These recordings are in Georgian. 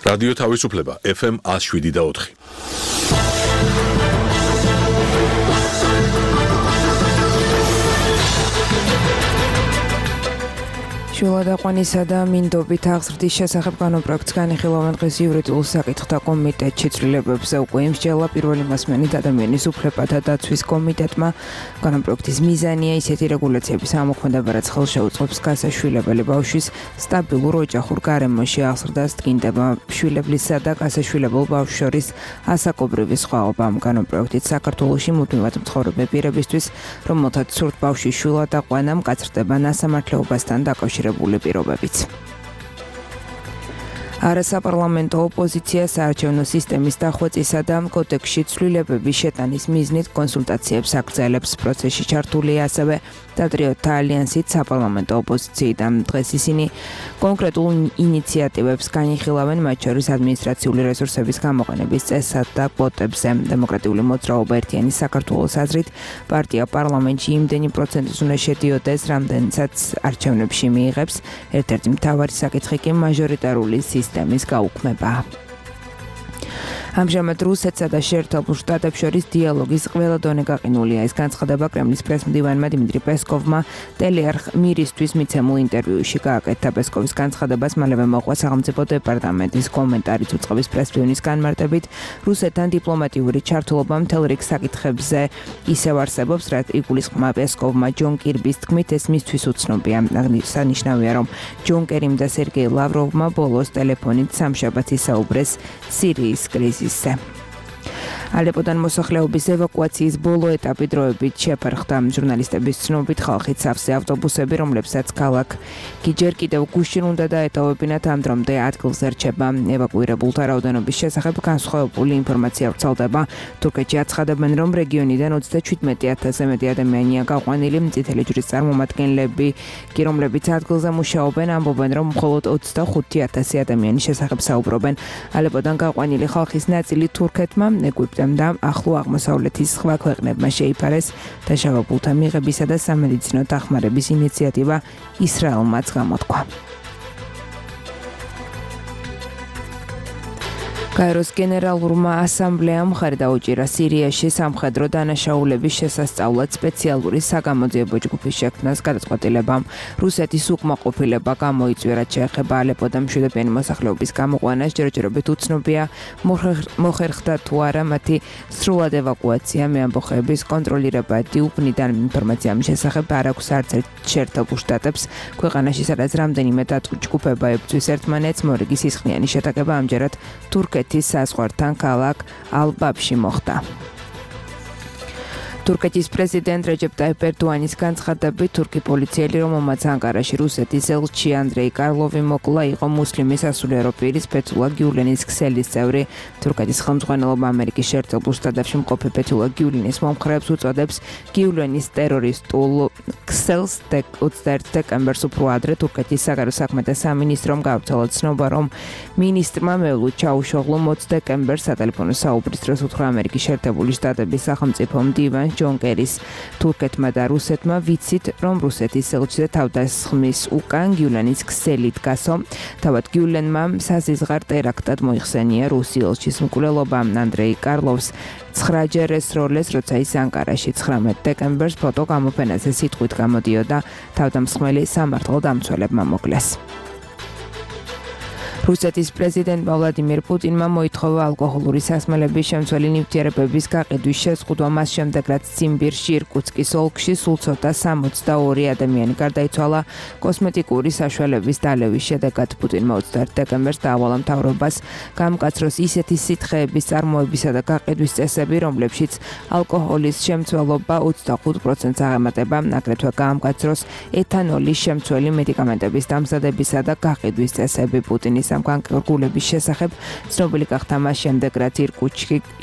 რადიო თავისუფლება FM 107.4. შულადაყვანისა და მინდობით აღზრდის შესახებ კანონპროექტს განიხილავენ დღეს იურიდიულ საკითხთა კომიტეტში. ცვლილებებზე უკვე იმსჯელა პირველი მასმენით ადამიანის უფლებათა დაცვის კომიტეტმა. კანონპროექტის მიზანია ისეთი რეგულაციების ამოქმედება, რაც ხელს შეუწყობს გასაშვილებელი ბავშვის სტაბილურ ოჯახურ გარემოში აღზრდას, ტკინდება შვილებლისა და გასაშვილებელ ბავშვს შორის ასაკობრივი სხვაობა. კანონპროექტით საქართველოში მუდმივად მცხოვრები პირებისთვის, რომელთაც სურთ ბავშვის შულადაყვანა, მკაცრდება ნასამართლეობასთან დაკავშირებული პირობებიც. არასაპარლამენტო ოპოზიცია საარჩევნო სისტემის დახვეწისა და კოდექსში ცვლილებების შეტანის მიზნით კონსულტაციებს აგრძელებს. პროცესში ჩართულია ასევე პატრიოტთა ალიანსით საპარლამენტო ოპოზიციიდან. დღეს ისინი კონკრეტულ ინიციატივებს განიხილავენ, მათ შორის ადმინისტრაციული რესურსების გამოყენების წესად და კვოტებზე. დემოკრატიული მოძრაობა ერთიანი საქართველოს აზრით, პარტია პარლამენტში იმდენი პროცენტის უნდა შედიოდეს, რამდენიცაც არჩევნებში მიიღებს. ერთ-ერთი მთავარი საკითხი კი მაჟორიტარული სისტემის გაუქმება. ამჟამად რუსეთსა და შეერთებულ შტატებს შორის დიალოგის ყველა დონე გაყინულია. ეს განცხადება კრემლის პრესმდივანმა დიმიტრი პესკოვმა ტელეარხ მირისთვის მიცემულ ინტერვიუში გააკეთა. პესკოვის განცხადებას მალევე მოყვა სახელმწიფო დეპარტამენტის კომენტარიც. უწყების პრესმდივნის განმარტებით, რუსეთთან დიპლომატიური ჩართულობა მთელ რიგ საკითხებზე ისევ არსებობს, რაც იგულისხმება პესკოვმა ჯონ კირბის თქმით, ეს მისთვის უცნობია. აღნიშნავია, რომ ჯონ კერიმ და სერგეი ლავროვმა ბოლოს ტელეფონით სამშაბათს ისაუბრეს სირიის კრიზისზე. ალეპოდან მოსახლეობის ევაკუაციის ბოლო ეტაპი დროებით შეფერხდა. ჟურნალისტების ცნობით, ხალხით სავსე ავტობუსები, რომლებსაც ქალაქ ჯერ კიდევ გუშინ უნდა დაეტოვებინათ, ამ დრომდე ადგილზე რჩება. ევაკუირებულთა რაოდენობის შესახებ განსხვავებული ინფორმაცია ვრცელდება. თურქეთში აცხადებენ, რომ რეგიონიდან 37,000-ზე მეტი ადამიანია გაყვანილი. წითელი ჯვრის წარმომადგენლები კი, რომლებიც ადგილზე მუშაობენ, ამბობენ, რომ მხოლოდ 25,000 ადამიანის შესახებ საუბრობენ. ალეპოდან გაყვანილი ხალხის ნაწილი თურქეთმა, ეგვიპტემ და ახლო აღმოსავლეთის სხვა ქვეყნებმა შეიფარეს. დაშავებულთა მიღებისა და სამედიცინო დახმარების ინიციატივა ისრაელმაც გამოთქვა. კაიროს გენერალურმა ასამბლეამ მხარი დაუჭირა სირიაში სამხედრო დანაშაულების შესასწავლად სპეციალური საგამოძიებო ჯგუფის შექმნას გადაწყვეტილებამ. რუსეთის უკმაყოფილება გამოიწვია, შეეხება ალეპოდან მშვიდობიანი მოსახლეობის გამოყვანას. ჯერჯერობით უცნობია, მოხერხდა თუ არა მათი სრულად ევაკუაცია. მეამბოხეების კონტროლირება დიუპნიდან ინფორმაცია ამ შესახებ არ აქვს არც ერთ შეერთებულ შტატებს. ქვეყანაში, სადაც რამდენიმე ჯგუფება ებრძვის ერთმანეთს, მორიგი სისხლიანი შეტაკება ამჯერად თურქეთის საზღვართან ქალაქ ალბაბში მოხდა. თურქეთის პრეზიდენტ რეჯეპ ტაიპ ერდოანის განცხადებით, თურქი პოლიციელი, რომელმაც ანკარაში რუსეთის ელჩი ანდრეი კარლოვი მოკლა, იყო მუსლიმი სასულიერო პირის ფეთულა გიულენის ქსელის წევრი. თურქეთის ხელმძღვანელობა ამერიკის შეერთებულ შტატებში მყოფი ფეთულა გიულენის მომხრეებს უწოდებს გიულენის ტერორისტულ ქსელს. 21 დეკემბერს უფრო ადრე თურქეთის საგარეო საქმეთა სამინისტრომ გავრცელა ცნობა, რომ მინისტრმა მევლუდ ჩაუშოღლო 20 დეკემბერს სატელეფონო საუბრის დროს უთხრა ამერიკის შეერთებული შტატების სახელმწიფო მდივანს ჯონ კერის თურქეთმა და რუსეთმა, ვიცით, რომ რუსეთის ელჩზე თავდასხმის უკან გიულენის ქსელი დგასო. თავად გიულენმა საზიზღარ ტერაქტად მოიხსენია რუსი ელჩის მკვლელობა. ანდრეი კარლოვს 9-ჯერ ესროლეს, როცა ის ანკარაში 19 დეკემბერს ფოტო გამოფენაზე სიტყვით გამოდიოდა, თავდამსხმელი სამართალ დამცველებმა მოკლეს. რუსეთის პრეზიდენტმა ვლადიმირ პუტინმა მოითხოვა ალკოჰოლური სასმელების შემცველი ნივთიერებების გაყიდვის შეზღუდვა. მას შემდეგ, რაც ციმბირში, ირკუტსკის ოლქში სულ ცოტა 62 ადამიანი გარდაიცვალა კოსმეტიკური საშუალების დალევის შედეგად. პუტინმა 21 დეკემბერს დაავალა მთავრობას გამკაცროს ისეთი სითხეების წარმოებისა და გაყიდვის წესები, რომლებშიც ალკოჰოლის შემცველობა 25%-ს აღემატება. აგრეთვე გაამკაცროს ეთანოლის შემცველი მედიკამენტების დამზადებისა და გაყიდვის წესები. პუტინის ამ განკარგულების შესახებ ცნობილი გახდა მას შემდეგ, რაც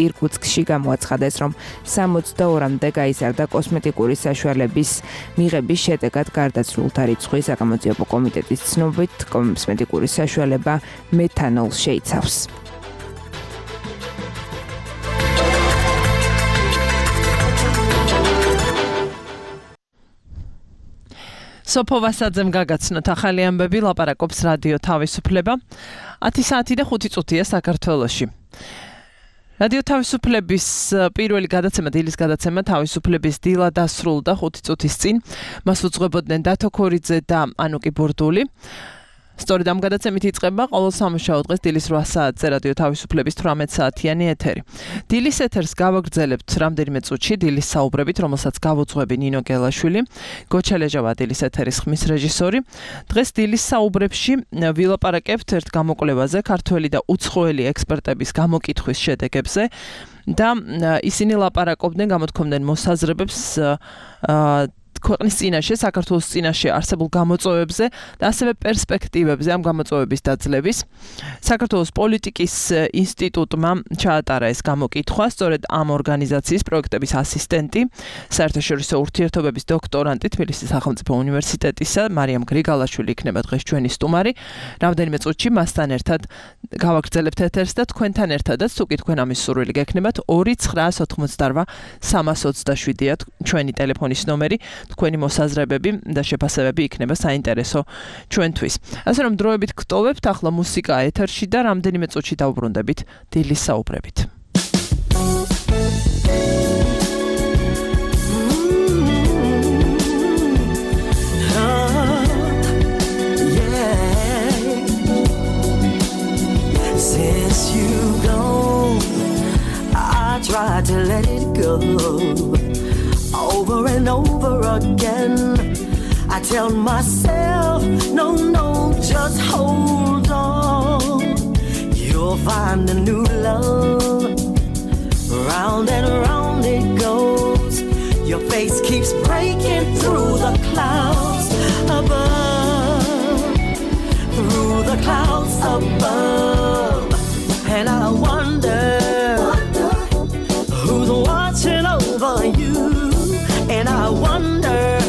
ირკუტსკში გამოაცხადეს, რომ 62-მდე გაიზარდა კოსმეტიკური საშუალების მიღების შედეგად გარდაცვლულთა რიცხვი. საგამოძიებო კომიტეტის ცნობით, კოსმეტიკური საშუალება მეთანოლს შეიცავს. სოფო ვასაძემ გაგაცნოთ ახალი ამბები, ლაპარაკობს რადიო თავისუფლება. 10 საათი და 5 წუთია საქართველოში. რადიო თავისუფლების პირველი გადაცემა, დილის გადაცემა თავისუფლების დილა დასრულდა 5 წუთის წინ. მას უძღვებოდნენ დათო ქორიძე და ანუკი ბურდული. სწორედ ამ გადაცემით იწყება ყოველ სამუშაო დღეს დილის 8 საათზე რადიო თავისუფლების 18 საათიანი ეთერი. დილის ეთერს გავაგრძელებთ რამდენიმე წუთში დილის საუბრებით, რომელსაც გავუძღვები ნინო გელაშვილი, გოჩა ლეჟავა დილის ეთერის ხმის რეჟისორი. დღეს დილის საუბრებში ვილაპარაკებთ ერთ გამოკვლევაზე, ქართველი და უცხოელი ექსპერტების გამოკითხვის შედეგებზე და ისინი ლაპარაკობდნენ, გამოთქვამდნენ მოსაზრებებს ქვეყნის წინაშე, საქართველოს წინაშე არსებულ გამოწვევებზე და ასევე პერსპექტივებზე ამ გამოწვევების დაძლევის. საქართველოს პოლიტიკის ინსტიტუტმა ჩაატარა ეს გამოკითხვა, სწორედ ამ ორგანიზაციის პროექტების ასისტენტი, საერთაშორისო ურთიერთობების დოქტორანტი თბილისის სახელმწიფო უნივერსიტეტისა, მარიამ გრიგალაშვილი იქნება დღეს ჩვენი სტუმარი. რამდენიმე წუთში მასთან ერთად გავაგრძელებთ ეთერს და თქვენთან ერთადაც, თუ კი თქვენ ამის სურვილი გექნებათ, 2988 327-ია ჩვენი ტელეფონის ნომერი. თქვენი მოსაზრებები და შეფასებები იქნება საინტერესო ჩვენთვის. ასე რომ დროებით გტოვებთ, ახლა მუსიკა ეთერში და რამდენიმე წუთში დავუბრუნდებით დილის საუბრებით. Since you gone, I tried to let it go. Over and over again, I tell myself, no, just hold on. You'll find a new love. Round and round it goes. Your face keeps breaking through the clouds above. Through the clouds above. And I wonder who's watching over you. And I wonder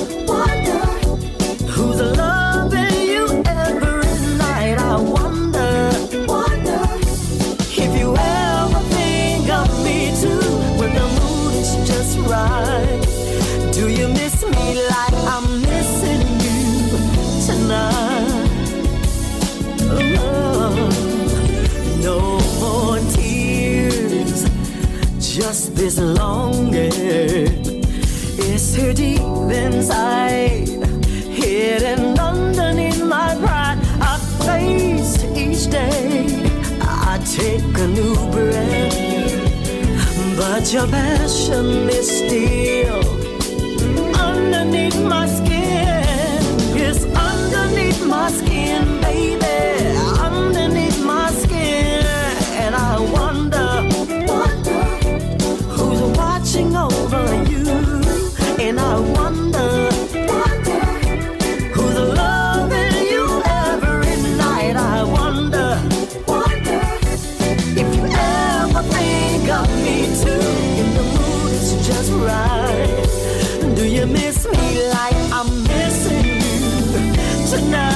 who's loving you every night. I wonder if you ever think of me too when the mood is just right. Do you miss me like I'm missing you tonight? Oh, no more tears, just this longing. It's here deep inside, hidden underneath my pride. I face each day, I take a new breath, but your passion is still underneath my skin. It's underneath my skin, baby, underneath my skin. And I wonder who's watching over you. And I wonder who's loving you every night. I wonder if you ever think of me too. If the mood is just right. Do you miss me like I'm missing you tonight?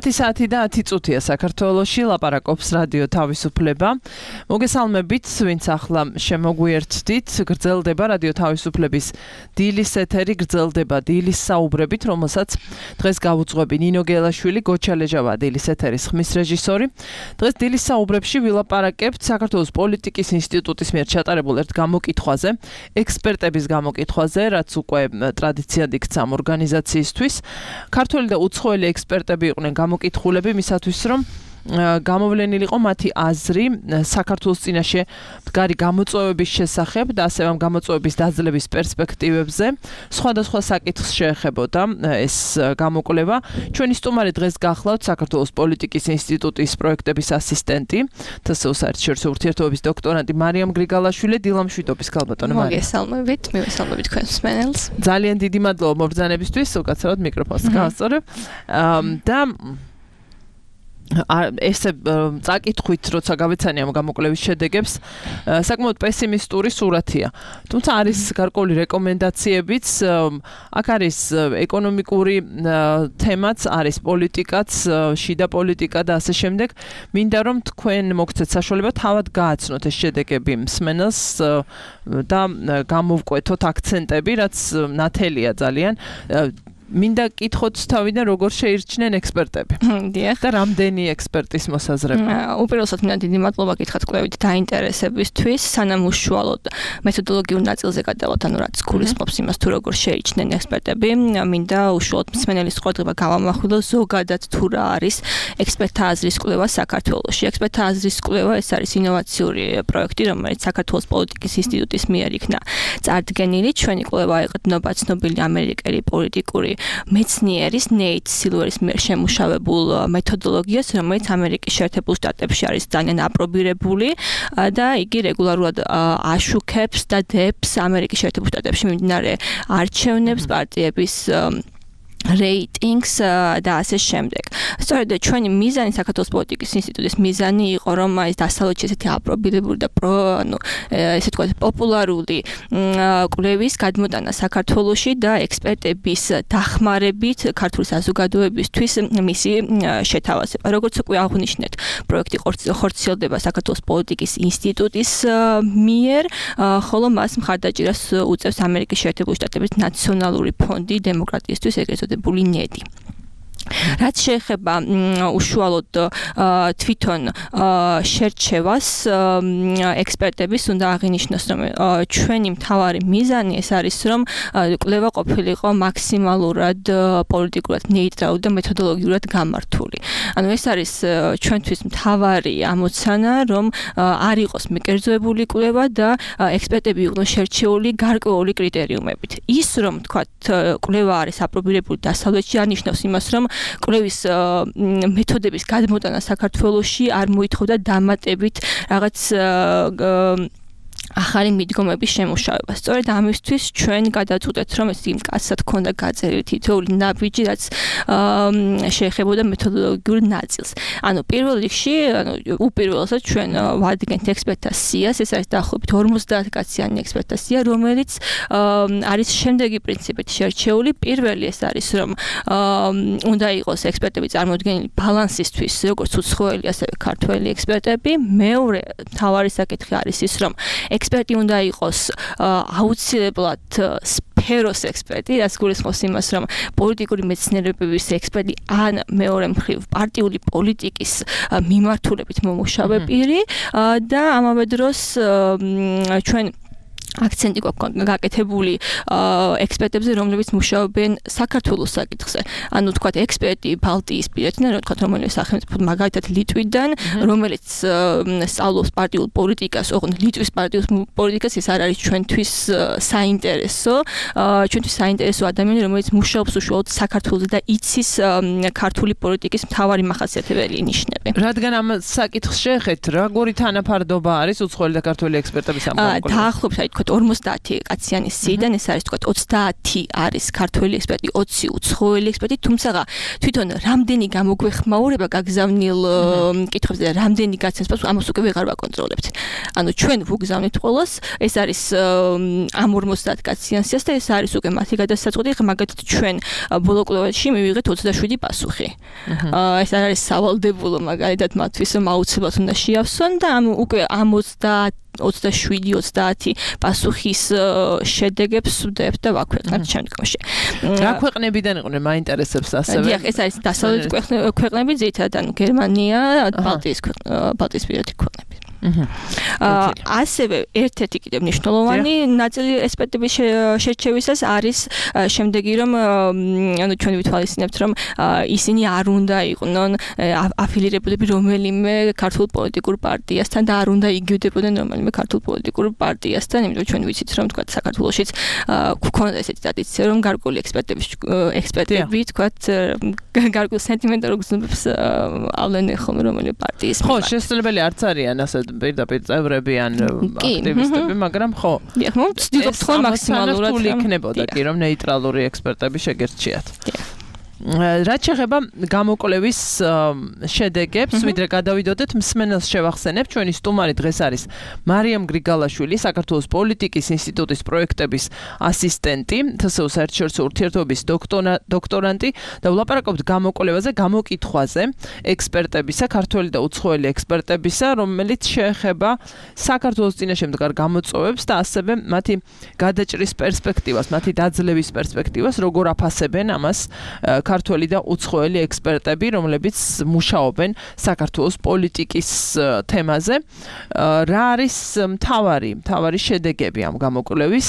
10 და 10 წუთია საქართველოში ლაპარაკობს რადიო თავისუფლება. მოგესალმებით, ვინც ახლა შემოგვიერთდით, გრძელდება რადიო თავისუფლების დილის ეთერი, გრძელდება დილის საუბრებით, რომელსაც დღეს გავუძღვები ნინო გელაშვილი, გოჩალეჟავა დილის ეთერის ხმის რეჟისორი. დღეს დილის საუბრებში ვილაპარაკებთ საქართველოს პოლიტიკის ინსტიტუტის მიერ ჩატარებულ ერთ გამოკითხვაზე, ექსპერტების გამოკითხვაზე, რაც უკვე ტრადიციად იქცა ამ ორგანიზაციისთვის. ქართველი და უცხოელი ექსპერტები იყვნენ გამოკითხულები მისათვის, რომ გამოვლენილიყო მათი აზრი საქართველოს წინაშე მდგარი გამოწვევების შესახებ და ასევე ამ გამოწვევების დაძლევის პერსპექტივებზე. სხვადასხვა საკითხს შეეხებოდა ეს გამოკვლევა. ჩვენი სტუმარი დღეს გახლავთ საქართველოს პოლიტიკის ინსტიტუტის პროექტების ასისტენტი, თსო საერთაშორისო ურთიერთობების დოქტორანტი მარიამ გრიგალაშვილი. დილამშვიდობის ქალბატონო მარიამ. მოგესალმებით, მივესალმებით თქვენს მსმენელს. ძალიან დიდი მადლობა მობრძანებისთვის, უკაცრავად მიკროფონს გავასწორებ. და ესე წაკითხვით, როცა გავეცანი ამ გამოკვლევის შედეგებს, საკმაოდ პესიმისტური სურათია. თუმცა არის გარკვეული რეკომენდაციებიც, აქ არის ეკონომიკური თემაც, არის პოლიტიკაც, შიდა პოლიტიკა და ასე შემდეგ. მინდა რომ თქვენ მოგცეთ საშუალება თავად გააცნოთ ეს შედეგები მსმენელს და გამოვკვეთოთ აქცენტები, რაც ნათელია ძალიან. მინდა კითხოთ თავიდან როგორ შეირჩნენ ექსპერტები. დიახ. და რამდენი ექსპერტის მოსაზრება. უპირველესად მინდა დიდი მადლობა გითხრათ კვლევით დაინტერესებისთვის, სანამ უშუალოდ მეთოდოლოგიურ ნაწილზე გადავალთ, ანუ რაც გულისხმობს იმას თუ როგორ შეირჩნენ ექსპერტები, მინდა უშუალოდ მსმენელის ყურადღება გავამახვილო ზოგადად თუ რა არის ექსპერტთა აზრის კვლევა საქართველოში. ექსპერტთა აზრის კვლევა ეს არის ინოვაციური პროექტი, რომელიც საქართველოს პოლიტიკის ინსტიტუტის მიერ იქნა წარდგენილი. ჩვენი კვლევა ეყრდნობა ცნობილი ამერიკელი პოლიტიკური მეცნიერის ნეით სილვერის მიერ შემუშავებულ მეთოდოლოგიას, რომელიც ამერიკის შეერთებულ შტატებში არის ძალიან აპრობირებული და იგი რეგულარულად აშუქებს და დებს ამერიკის შეერთებულ შტატებში მიმდინარე არჩევნებს, პარტიების რეიტინგს და ასე შემდეგ. სწორედ ჩვენი მიზანი საქართველოს პოლიტიკის ინსტიტუტის მიზანი იყო, რომ ეს დასავლეთში ესეთი აპრობირებული და ესე თქვა პოპულარული კვლევის გადმოტანა საქართველოში და ექსპერტების დახმარებით ქართული საზოგადოებისთვის მისი შეთავაზება. როგორც უკვე აღვნიშნეთ, პროექტი ხორციელდება საქართველოს პოლიტიკის ინსტიტუტის მიერ, ხოლო მას მხარდაჭერას უწევს ამერიკის შეერთებული შტატების ნაციონალური ფონდი დემოკრატიისთვის, ეგრეთ წოდებული ნედი. რაც შეეხება უშუალოდ თვითონ შერჩევას, ექსპერტების უნდა აღინიშნოს, რომ ჩვენი მთავარი მიზანი ეს არის, რომ კვლევა ყოფილიყო მაქსიმალურად პოლიტიკურად ნეიტრალური და მეთოდოლოგიურად გამართული. ანუ ეს არის ჩვენთვის მთავარი ამოცანა, რომ არ იყოს მიკერძოებული კვლევა და ექსპერტები იყვნენ შერჩეული გარკვეული კრიტერიუმებით. ის რომ თქვათ კვლევა არის აპრობირებული დასავლეთში, არნიშნავს იმას, რომ კვლევის მეთოდების გადმოტანა საქართველოში არ მოითხოვდა დამატებით რაღაც ახალი მიდგომების შემუშავება. სწორედ ამისთვის ჩვენ გადაწყვეტეთ, რომ ეს იმკაცად ქონდა გაწერილი თითოეული ნაბიჯი, რაც შეეხებოდა მეთოდოლოგიურ ნაწილს. ანუ პირველ რიგში, უპირველესად ჩვენ ვადგენთ ექსპერტთა სიას, ეს არის დაახლოებით 50 კაციანი ექსპერტთა სია, რომელიც არის შემდეგი პრინციპით შერჩეული. პირველი ეს არის, რომ უნდა იყოს ექსპერტები წარმოდგენილი ბალანსისთვის, როგორც უცხოელი, ასევე ქართველი ექსპერტები. მეორე მთავარი საკითხი არის ის, რომ ექსპერტი უნდა იყოს აუცილებლად სფეროს ექსპერტი, რაც გულისხმობს იმას, რომ პოლიტიკური მეცნიერებების ექსპერტი ან მეორე მხრივ პარტიული პოლიტიკის მიმართულებით მომუშავე პირი და ამავე დროს ჩვენ აქცენტი გვაქვს გაკეთებული ექსპერტებზე, რომლებიც მუშაობენ საქართველოს საკითხზე. ანუ თქვათ ექსპერტი ბალტიისპირეთიდან, რომელიმე სახელმწიფო, მაგალითად ლიტვიდან, რომელიც სწავლობს პარტიულ პოლიტიკას, ოღონდ ლიტვის პარტიულ პოლიტიკას, ეს არ არის ჩვენთვის საინტერესო. ჩვენთვის საინტერესო ადამიანი, რომელიც მუშაობს უშუალოდ საქართველოს და იცის ქართული პოლიტიკის მთავარი მახასიათებელი ნიშნები. რადგან ამ საკითხს შეეხეთ, როგორი თანაფარდობა არის უცხოელი და ქართველი ექსპერტების ამ გამოკვლევაში? დაახლოებით, თქვათ 50 კაციანი სიიდან ეს არის თქვათ 30 არის ქართველი ექსპერტი, 20 უცხოელი ექსპერტი, თუმცა თვითონ რამდენი გამოგვეხმაურება გაგზავნილ კითხვებზე და რამდენი გაცემს პასუხს ამას უკვე ვეღარ ვაკონტროლებთ. ანუ ჩვენ ვუგზავნით ყველას, ეს არის ამ 50 კაციან სიას და ეს არის უკვე მათი გადასაწყვეტი, მაგალითად ჩვენ ბოლო კვლევაში მივიღეთ 27 პასუხი. ეს არ არის სავალდებულო მაგალითად მათთვის რომ აუცილებლად უნდა შეავსონ და უკვე ამ 27-30 პასუხის შედეგებს ვდებთ და ვაქვეყნებთ შემდგომში. რა ქვეყნებიდან იყვნენ მაინტერესებს ასევე? დიახ, ეს არის დასავლეთ ქვეყნები, ძირითადად ანუ გერმანია, ბალტიისპირეთი ქვეყნები. ასევე ერთ-ერთი კიდევ მნიშვნელოვანი ნაწილი ექსპერტების შერჩევისას არის შემდეგი რომ ანუ ჩვენ ვითვალისწინებთ რომ ისინი არ უნდა იყვნენ აფილირებულები რომელიმე ქართულ პოლიტიკურ პარტიასთან და არ უნდა იგივდებოდნენ რომელიმე ქართულ პოლიტიკურ პარტიასთან, იმიტომ ჩვენ ვიცით რომ თქვა საქართველოშიც გვქონდა ესეთი ტრადიცია რომ გარკვეული ექსპერტები თქვა გარკვეულ სენტიმენტალურ გზნობებს ავლენენ ხოლმე რომელიმე პარტიის. ხო, შესაძლებელი არც არიან ასე პირდაპირ წევრები ან აქტივისტები, მაგრამ ხო. დიახ, ვცდილობთ ხოლმე მაქსიმალურად იქნებოდა კი რომ ნეიტრალური ექსპერტები შეგერჩიათ. რაც შეეხება გამოკვლევის შედეგებს, ვიდრე გადავიდოდეთ, მსმენელს შევახსენებ, ჩვენი სტუმარი დღეს არის მარიამ გრიგალაშვილი, საქართველოს პოლიტიკის ინსტიტუტის პროექტების ასისტენტი, თსო საერთაშორისო ურთიერთობების დოქტორანტი და ვლაპარაკობთ გამოკვლევაზე, გამოკითხვაზე, ექსპერტებისა, ქართველი და უცხოელი ექსპერტებისა, რომელიც შეეხება საქართველოს წინაშე მდგარ გამოწვევებს და ასევე მათი გადაჭრის პერსპექტივას, მათი დაძლევის პერსპექტივას, როგორ აფასებენ ამას ქართველი და უცხოელი ექსპერტები, რომლებიც მუშაობენ საქართველოს პოლიტიკის თემაზე. რა არის მთავარი შედეგები ამ გამოკვლევის?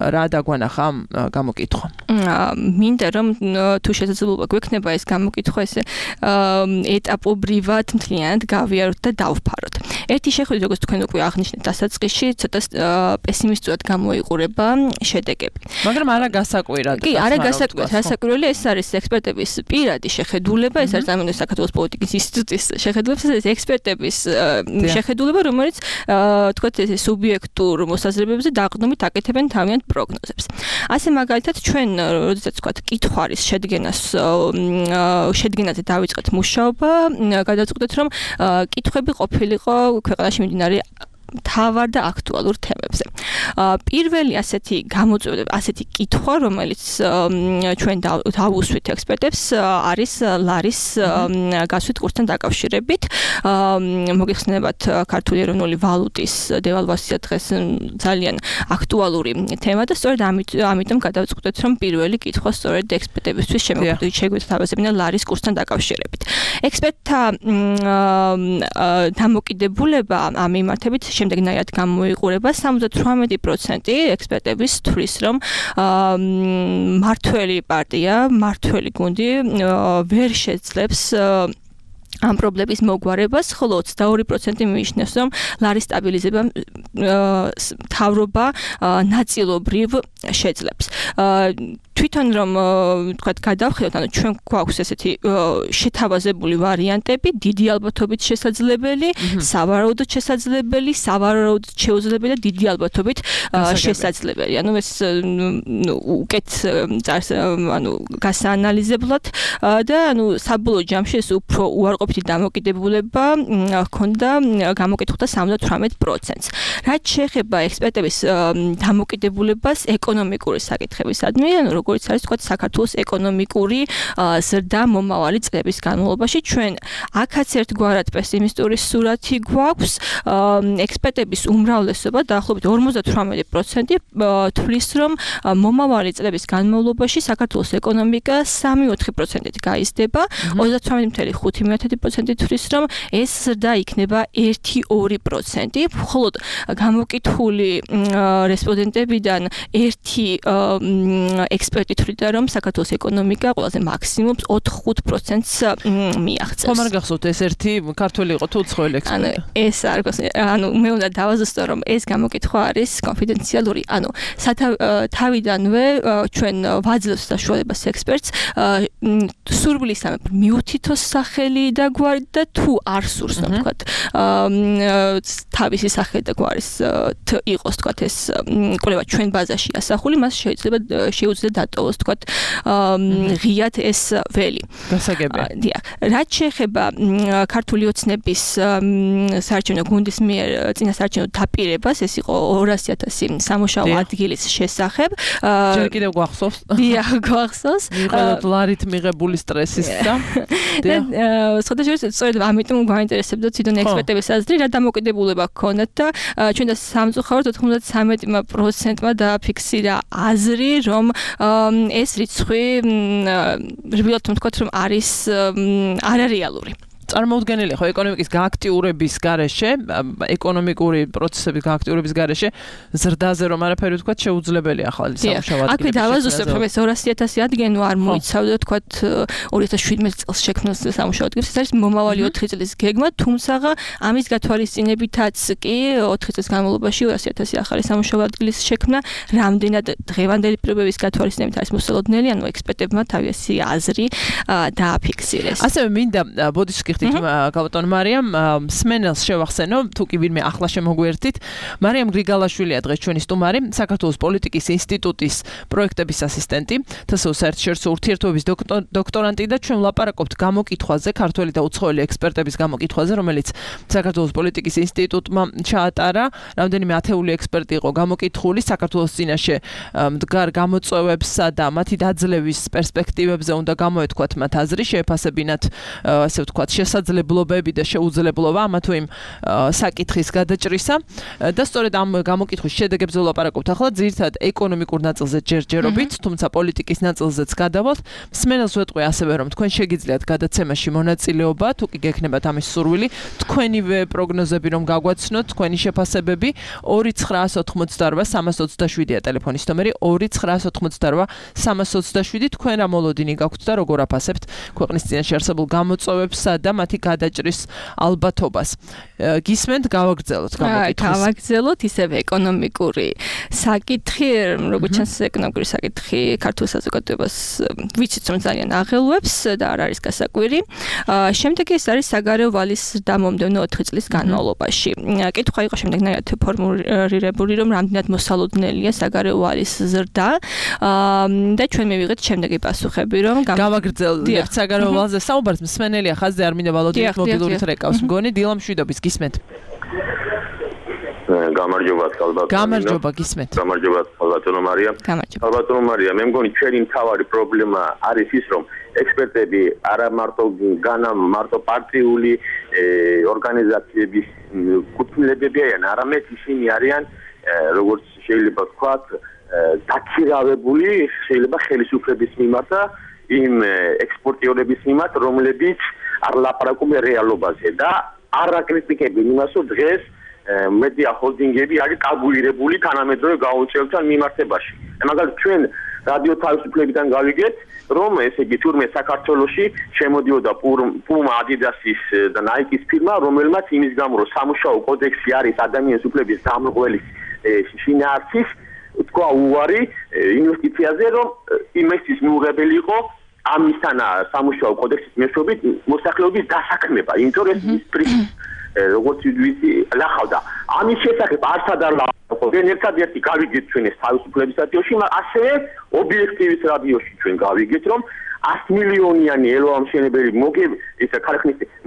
რა დაგვანახა ამ გამოკითხვამ? მინდა რომ თუ შესაძლებლობა გვექნება ეს გამოკითხვა ესე ეტაპობრივად მთლიანად გავიაროთ და დავფაროთ. ერთი შეხვედრა, როგორც თქვენ უკვე აღნიშნეთ დასაწყისში, ცოტა პესიმისტურად გამოიყურება შედეგები. მაგრამ არა გასაკვირად. კი, არა გასაკვირად. რასაკვირველია ეს არის ექსპერტების პირადი შეხედულება, ეს არის ამიტომ საქართველოს პოლიტიკის ინსტიტუტის შეხედულება, ეს არის ექსპერტების შეხედულება, რომელიც თქვათ ესე სუბიექტურ მოსაზრებებზე დაყრდნობით აკეთებენ თავიანთ პროგნოზებს. ასე მაგალითად ჩვენ როდესაც თქვათ კითხვის შედგენაზე დავიწყეთ მუშაობა, გადავწყვეტეთ რომ კითხვები ყოფილიყო ქვეყანაში მიმდინარე თავარ და აქტუალურ თემებზე. პირველი ასეთი გამოწვევა, ასეთი კითხვა, რომელიც ჩვენ დავუსვით ექსპერტებს, არის ლარის გასვით კურსთან დაკავშირებით. მოგეხსენებათ ქართული ეროვნული ვალუტის დევალვაცია დღეს ძალიან აქტუალური თემა და სწორედ ამიტომ გადავწყვეტეთ, რომ პირველი კითხვა სწორედ ექსპერტებისთვის შეგვეთავაზებინა ლარის კურსთან დაკავშირებით. ექსპერტთა დამოკიდებულება ამ მიმართებით შემდეგნაირად გამოიყურება 78% ექსპერტების თვლის რომ მართველი პარტია, მართველი გუნდი ვერ შეძლებს ამ პრობლემის მოგვარებას, ხოლო 22% მიიჩნევს, რომ ლარის სტაბილიზება მთავრობა ნაწილობრივ შეძლებს. თვითონ რომ თქვათ გადავხედოთ, ანუ ჩვენ გვაქვს ესეთი შეთავაზებული ვარიანტები, დიდი ალბათობით შესაძლებელი, სავარაუდოდ შესაძლებელი, სავარაუდოდ შეუძლებელი და დიდი ალბათობით შესაძლებელი. ანუ ეს უკეთ ანუ გასაანალიზებლად და ანუ საბოლოო ჯამში ეს უფრო უარყოფითი დამოკიდებულება ჰქონდა გამოკითხულთა 78%-ს. რაც შეეხება ექსპერტების დამოკიდებულებას ეკონომიკური საკითხებისადმი, ანუ როგორც არის თქვათ საქართველოს ეკონომიკური ზრდა მომავალი წლების განმავლობაში, ჩვენ აქაც ერთგვარად პესიმისტური სურათი გვაქვს. ექსპერტების უმრავლესობა დაახლოებით 58% თვლის, რომ მომავალი წლების განმავლობაში საქართველოს ეკონომიკა 3-4%-ით გაიზრდება, 38.5% თვლის, რომ ეს ზრდა იქნება 1-2%, მხოლოდ გამოკითხული რესპონდენტებიდან ერთი ექსპერტი თვლიდა, რომ საქართველოს ეკონომიკა ყველაზე მაქსიმუმ 4-5%-ს მიაღწევს. ხომ არ გახსოვთ ეს ერთი ქართველი იყო თუ უცხოელი ექსპერტი? ეს არ გახსოვთ. ანუ მე უნდა დავაზუსტო, რომ ეს გამოკითხვა არის კონფიდენციალური. ანუ თავიდანვე ჩვენ ვაძლევს საშუალებას ექსპერტს სურვილისამებრ მიუთითოს სახელი დაგვარი და თუ არ სურს თქვა თავისი სახე და გვარის იყოს თქვა ეს კვლევა ჩვენ ბაზაში ასახული მას შეუძლია დატოვოს თქვა ღიად ეს ველი გასაგებია დიახ რაც შეეხება ქართული ოცნების საარჩევნო გუნდის მიერ წინასაარჩევნო დაპირებას ეს იყო 200,000 სამუშაო ადგილის შესახებ ჯერ კიდევ გვახსოვს დიახ გვახსოვს $1 მიღებული სტრესის და სხვადასხვა სწორედ ამიტომ გვაინტერესებდა თვითონ ექსპერტების აზრი რა დამოკიდებულება გქონდათ და ჩვენ და სამწუხაროდ 93%-მა დააფიქსირა აზრი რომ ეს რიცხვი რბილად ვთქვათ რომ არის არარეალური წარმოუდგენელი ხო ეკონომიკის გააქტიურების გარეშე ეკონომიკური პროცესების გააქტიურების გარეშე ზრდაზე რომ არაფერი ვთქვათ შეუძლებელია ახალი სამუშაო ადგილები. აქვე დავაზუსტებ რომ ეს 200,000 ადგილი არ მოიცავდა ვთქვათ 2017 წელს შექმნილ სამუშაო ადგილებს. ეს არის მომავალი 4 წლის გეგმა, თუმცა ამის გათვალისწინებითაც კი 4 წლის განმავლობაში 200,000 ახალი სამუშაო ადგილის შექმნა რამდენად დღევანდელი პირობების გათვალისწინებით არის მოსალოდნელი, ანუ ექსპერტებმა თავისი აზრი დააფიქსირეს. ასევე მინდა ბოდიშს გალბატონ მარიამ სმენელს შევახსენო თუ კი ვინმე ახლა შემოგვერთით მარიამ გრიგალაშვილია დღეს ჩვენი სტუმარი საქართველოს პოლიტიკის ინსტიტუტის პროექტების ასისტენტი თსო საერთაშორისო ურთიერთობების დოქტორანტი და ჩვენ ვლაპარაკობთ გამოკითხვაზე ქართველი და უცხოელი ექსპერტების გამოკითხვაზე რომელიც საქართველოს პოლიტიკის ინსტიტუტმა ჩაატარა რამდენიმე ათეული ექსპერტი იყო გამოკითხული საქართველოს წინაშე მდგარ გამოწვევებსა და მათი დაძლევის პერსპექტივებზე უნდა გამოეთქვათ მათ აზრი შეეფასებინათ ასე ვთქვათ შესაძლებლობები და შეუძლებლობა ამა თუ იმ საკითხის გადაჭრისა და სწორედ ამ გამოკითხვის შედეგებზე ვლაპარაკობთ ახლა ძირითადად ეკონომიკურ ნაწილზე ჯერჯერობით თუმცა პოლიტიკის ნაწილზეც გადავალთ მსმენელს ვეტყვი ასევე რომ თქვენ შეგიძლიათ გადაცემაში მონაწილეობა თუ კი გექნებათ ამის სურვილი თქვენივე პროგნოზები რომ გაგვაცნოთ თქვენი შეფასებები 2988327-327-ია ტელეფონის ნომერი 2988327 თქვენ რა მოლოდინი გაქვთ და როგორ აფასებთ ქვეყნის წინაშე არსებულ გამოწვევებსა და მათი გადაჭრის ალბათობას. გისმენთ გავაგრძელოთ გამოკითხვის. გავაგრძელოთ ისევ ეკონომიკური საკითხი, როგორც ჩანს ეკონომიკური საკითხი ქართულ საზოგადოებას ვიცით რომ ძალიან აღელვებს და არ არის გასაკვირი. შემდეგ ეს არის საგარეო ვალის დამომდევნო 4 წლის განმავლობაში. კითხვა იყო შემდეგნაირად ფორმულირებული რომ რამდენად მოსალოდნელია საგარეო ვალის ზრდა და ჩვენ მივიღეთ შემდეგი პასუხები რომ გავაგრძელებთ საგარეო ვალზე საუბარს მსმენელია ხაზზე არ მინდა ვალოდით მობილური რეკავს მგონი დილამშვიდობის გისმენთ გამარჯობა ალბათ გამარჯობა გისმენთ გამარჯობა ალბათო მარია ალბათო მარია მე მგონი ჩვენი მთავარი პრობლემა არის ის რომ ექსპერტები არა მარტო პარტიული ორგანიზაციების კუთვნილებები არიან არამედ ისინი არიან როგორც შეიძლება ვთქვათ დაქირავებული შეიძლება ხელისუფლების მიმართ და იმ ექსპორტიორების მიმართ რომლებიც არ ლაპარაკობენ რეალობაზე და არ აკრიტიკებენ იმას რომ დღეს მედია ჰოლდინგები არის კალკულირებული თანამედროვე გაუწევთან მიმართებაში. მაგალითად ჩვენ რადიო თავისუფლებიდან გავიგეთ რომ ესე იგი თურმე საქართველოში შემოდიოდა პუმა ადიდასის და ნაიკის ფირმა რომელმაც იმის გამო რომ სამუშაო კოდექსი არის ადამიანის უფლების დამრღვევის შინაარსის თქვა უარი ინვესტიციაზე რომ იმისთვის მიუღებელი იყო ამისთან სამუშაო კოდექსის მეშვეობით მოსახლეობის დასაქმება, იმიტომ რომ ეს პრინციპი როგორც ვიცი ლახავდა. ამის შესახებ არცად არ ლაპარაკობენ, ერთადერთი გავიგეთ ჩვენ ეს თავისუფლების რადიოში, ასევე ობიექტივის რადიოში ჩვენ გავიგეთ რომ 100 მილიონიანი ელვამშენებელი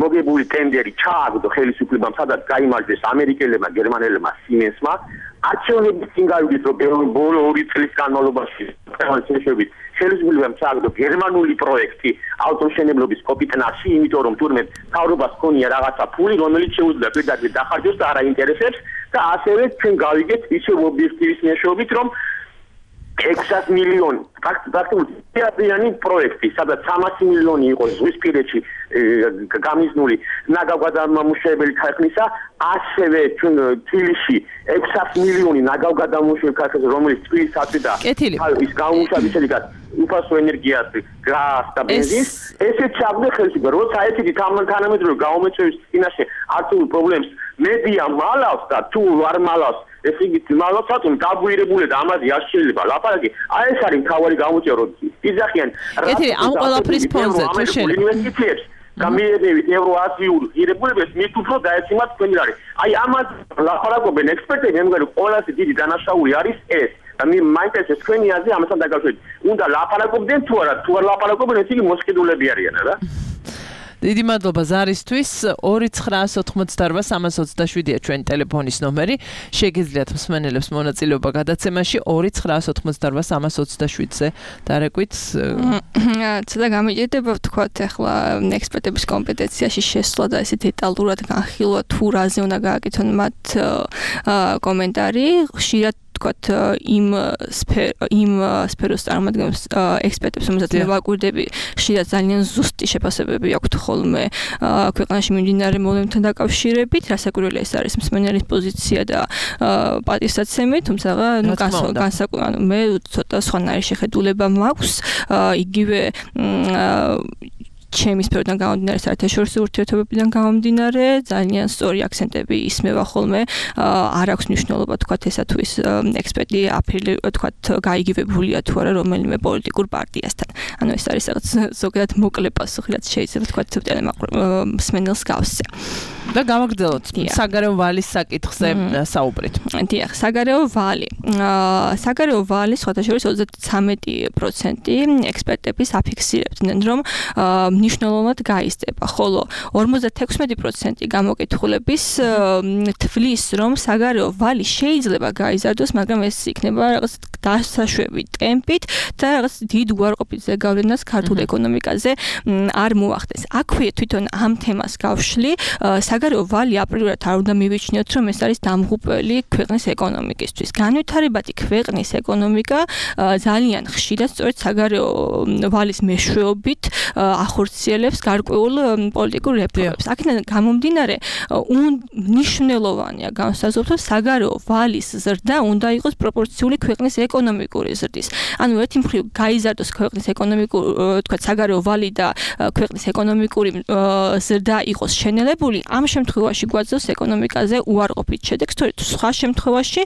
მოგებული ტენდერი ჩააგდო ხელისუფლებამ, სადაც გაიმარჯვეს ამერიკელებმა, გერმანელებმა, Siemens-მა. არჩევნების წინ გავიგეთ რომ ბოლო 2 წლის განმავლობაში ხელისუფლებამ ხელისუფლებამ ჩააგდო გერმანული პროექტი ავტომშენებლობის კოპიტნაში, იმიტომ რომ თურმე თავრობას ქონია რაღაცა ფული, რომელიც შეუძლია პირდაპირ დახარჯოს და არ აინტერესებს და ასევე ჩვენ გავიგეთ ისევ ობიექტივის მეშვეობით რომ 600 მილიონი პრაქტიკულად ერთიანი პროექტი, სადაც 300 მილიონი იყო ზღვისპირეთში გამიზნული ნაგავგადამამუშავებელი ქარხნისა, ასევე ჩვენ თბილისში 600 მილიონი ნაგავგადამამუშავებელი ქარხნა, რომელიც თბილისში და ის გამომუშავების შედეგად უფასო ენერგიას, გაზს და ბენზინს, ესე ჩაგდე ხელისუფლება, როცა ესეთი თანამედროვე გამოწვევის წინაშე არცულ პრობლემს მედია მალავს და თუ არ მალავს ესე იგი მალავს რატომ დაბუირებული და ამაზე არ შეიძლება ლაპარაკი. აი ეს არის მთავარი გამოწვევა, რომ იძახიან ამ ყველაფრის ფონზე თუ შეიძლება გამიერებით ევროაზიურ ღირებულებებს მით უფრო დაეცემათ თქვენი რარი. აი ამას ლაპარაკობენ ექსპერტები, მე მგონი ყველაზე დიდი დანაშაული არის ეს. და მე მაინტერესებს თქვენი აზრი ამასთან დაკავშირებით. უნდა ლაპარაკობდნენ თუ არა, თუ არ ლაპარაკობენ, ეს იგი მოსყიდულები არიან რა. დიდი მადლობა ზარისთვის 2988327-ია ჩვენი ტელეფონის ნომერი. შეგიძლიათ მსმენელებს მონაწილეობა გადაცემაში 2988327-ზე დარეკვით. ცოტა გამიჭირდება ვთქვათ ახლა ექსპერტების კომპეტენციაში შესვლა და ესე დეტალურად განხილვა თუ რაზე უნდა გააკეთონ მათ კომენტარი. ხშირად ვთქვათ იმ სფეროს წარმოადგენს ექსპერტებს, რომელსაც მე ვაკვირდები, ხშირად ძალიან ზუსტი შეფასებები აქვთ ხოლმე ქვეყანაში მიმდინარე მოვლენებთან დაკავშირებით, რასაკვირველია ეს არის მსმენელის პოზიცია და პატივსაცემი, თუმცა განსაკუთრებით მე ცოტა სხვანაირი შეხედულება მაქვს, იგივე ჩემი სფეროდან გამომდინარე, საერთაშორისო ურთიერთობებიდან გამომდინარე, ძალიან სწორი აქცენტები ისმევა ხოლმე, არ აქვს მნიშვნელობა თქვათ ესა თუ ის ექსპერტი თქვათ გაიგივებულია თუ არა რომელიმე პოლიტიკურ პარტიასთან. ანუ ეს არის რაღაც ზოგადად მოკლე პასუხი, რაც შეიძლება თქვათ მსმენელს გავსცე. და გავაგრძელოთ საგარეო ვალის საკითხზე საუბრით. დიახ, საგარეო ვალი. საგარეო ვალი სხვათა შორის 33% ექსპერტების აფიქსირებდნენ, რომ მნიშვნელოვნად გაიზრდება, ხოლო 56% გამოკითხულების თვლის, რომ საგარეო ვალი შეიძლება გაიზარდოს, მაგრამ ეს იქნება რაღაც დასაშვები ტემპით და რაღაც დიდ უარყოფით ზეგავლენას ქართულ ეკონომიკაზე არ მოახდენს. აქვე თვითონ ამ თემას გავშლი, საგარეო ვალი აპრიორად არ უნდა მივიჩნიოთ, რომ ეს არის დამღუპველი ქვეყნის ეკონომიკისთვის. განვითარებადი ქვეყნის ეკონომიკა ძალიან ხშირად სწორედ საგარეო ვალის მეშვეობით ახორციელებს გარკვეულ პოლიტიკურ რეფორმებს. აქედან გამომდინარე, მნიშვნელოვანია განსაზღვროთ, რომ საგარეო ვალის ზრდა უნდა იყოს პროპორციული ქვეყნის ეკონომიკური ზრდის. ანუ ერთი მხრივ გაიზარდოს ქვეყნის თქვათ საგარეო ვალი და ქვეყნის ეკონომიკური ზრდა იყოს შენელებული, ამ შემთხვევაში გვაძლევს ეკონომიკაზე უარყოფით შედეგს, თორედ სხვა შემთხვევაში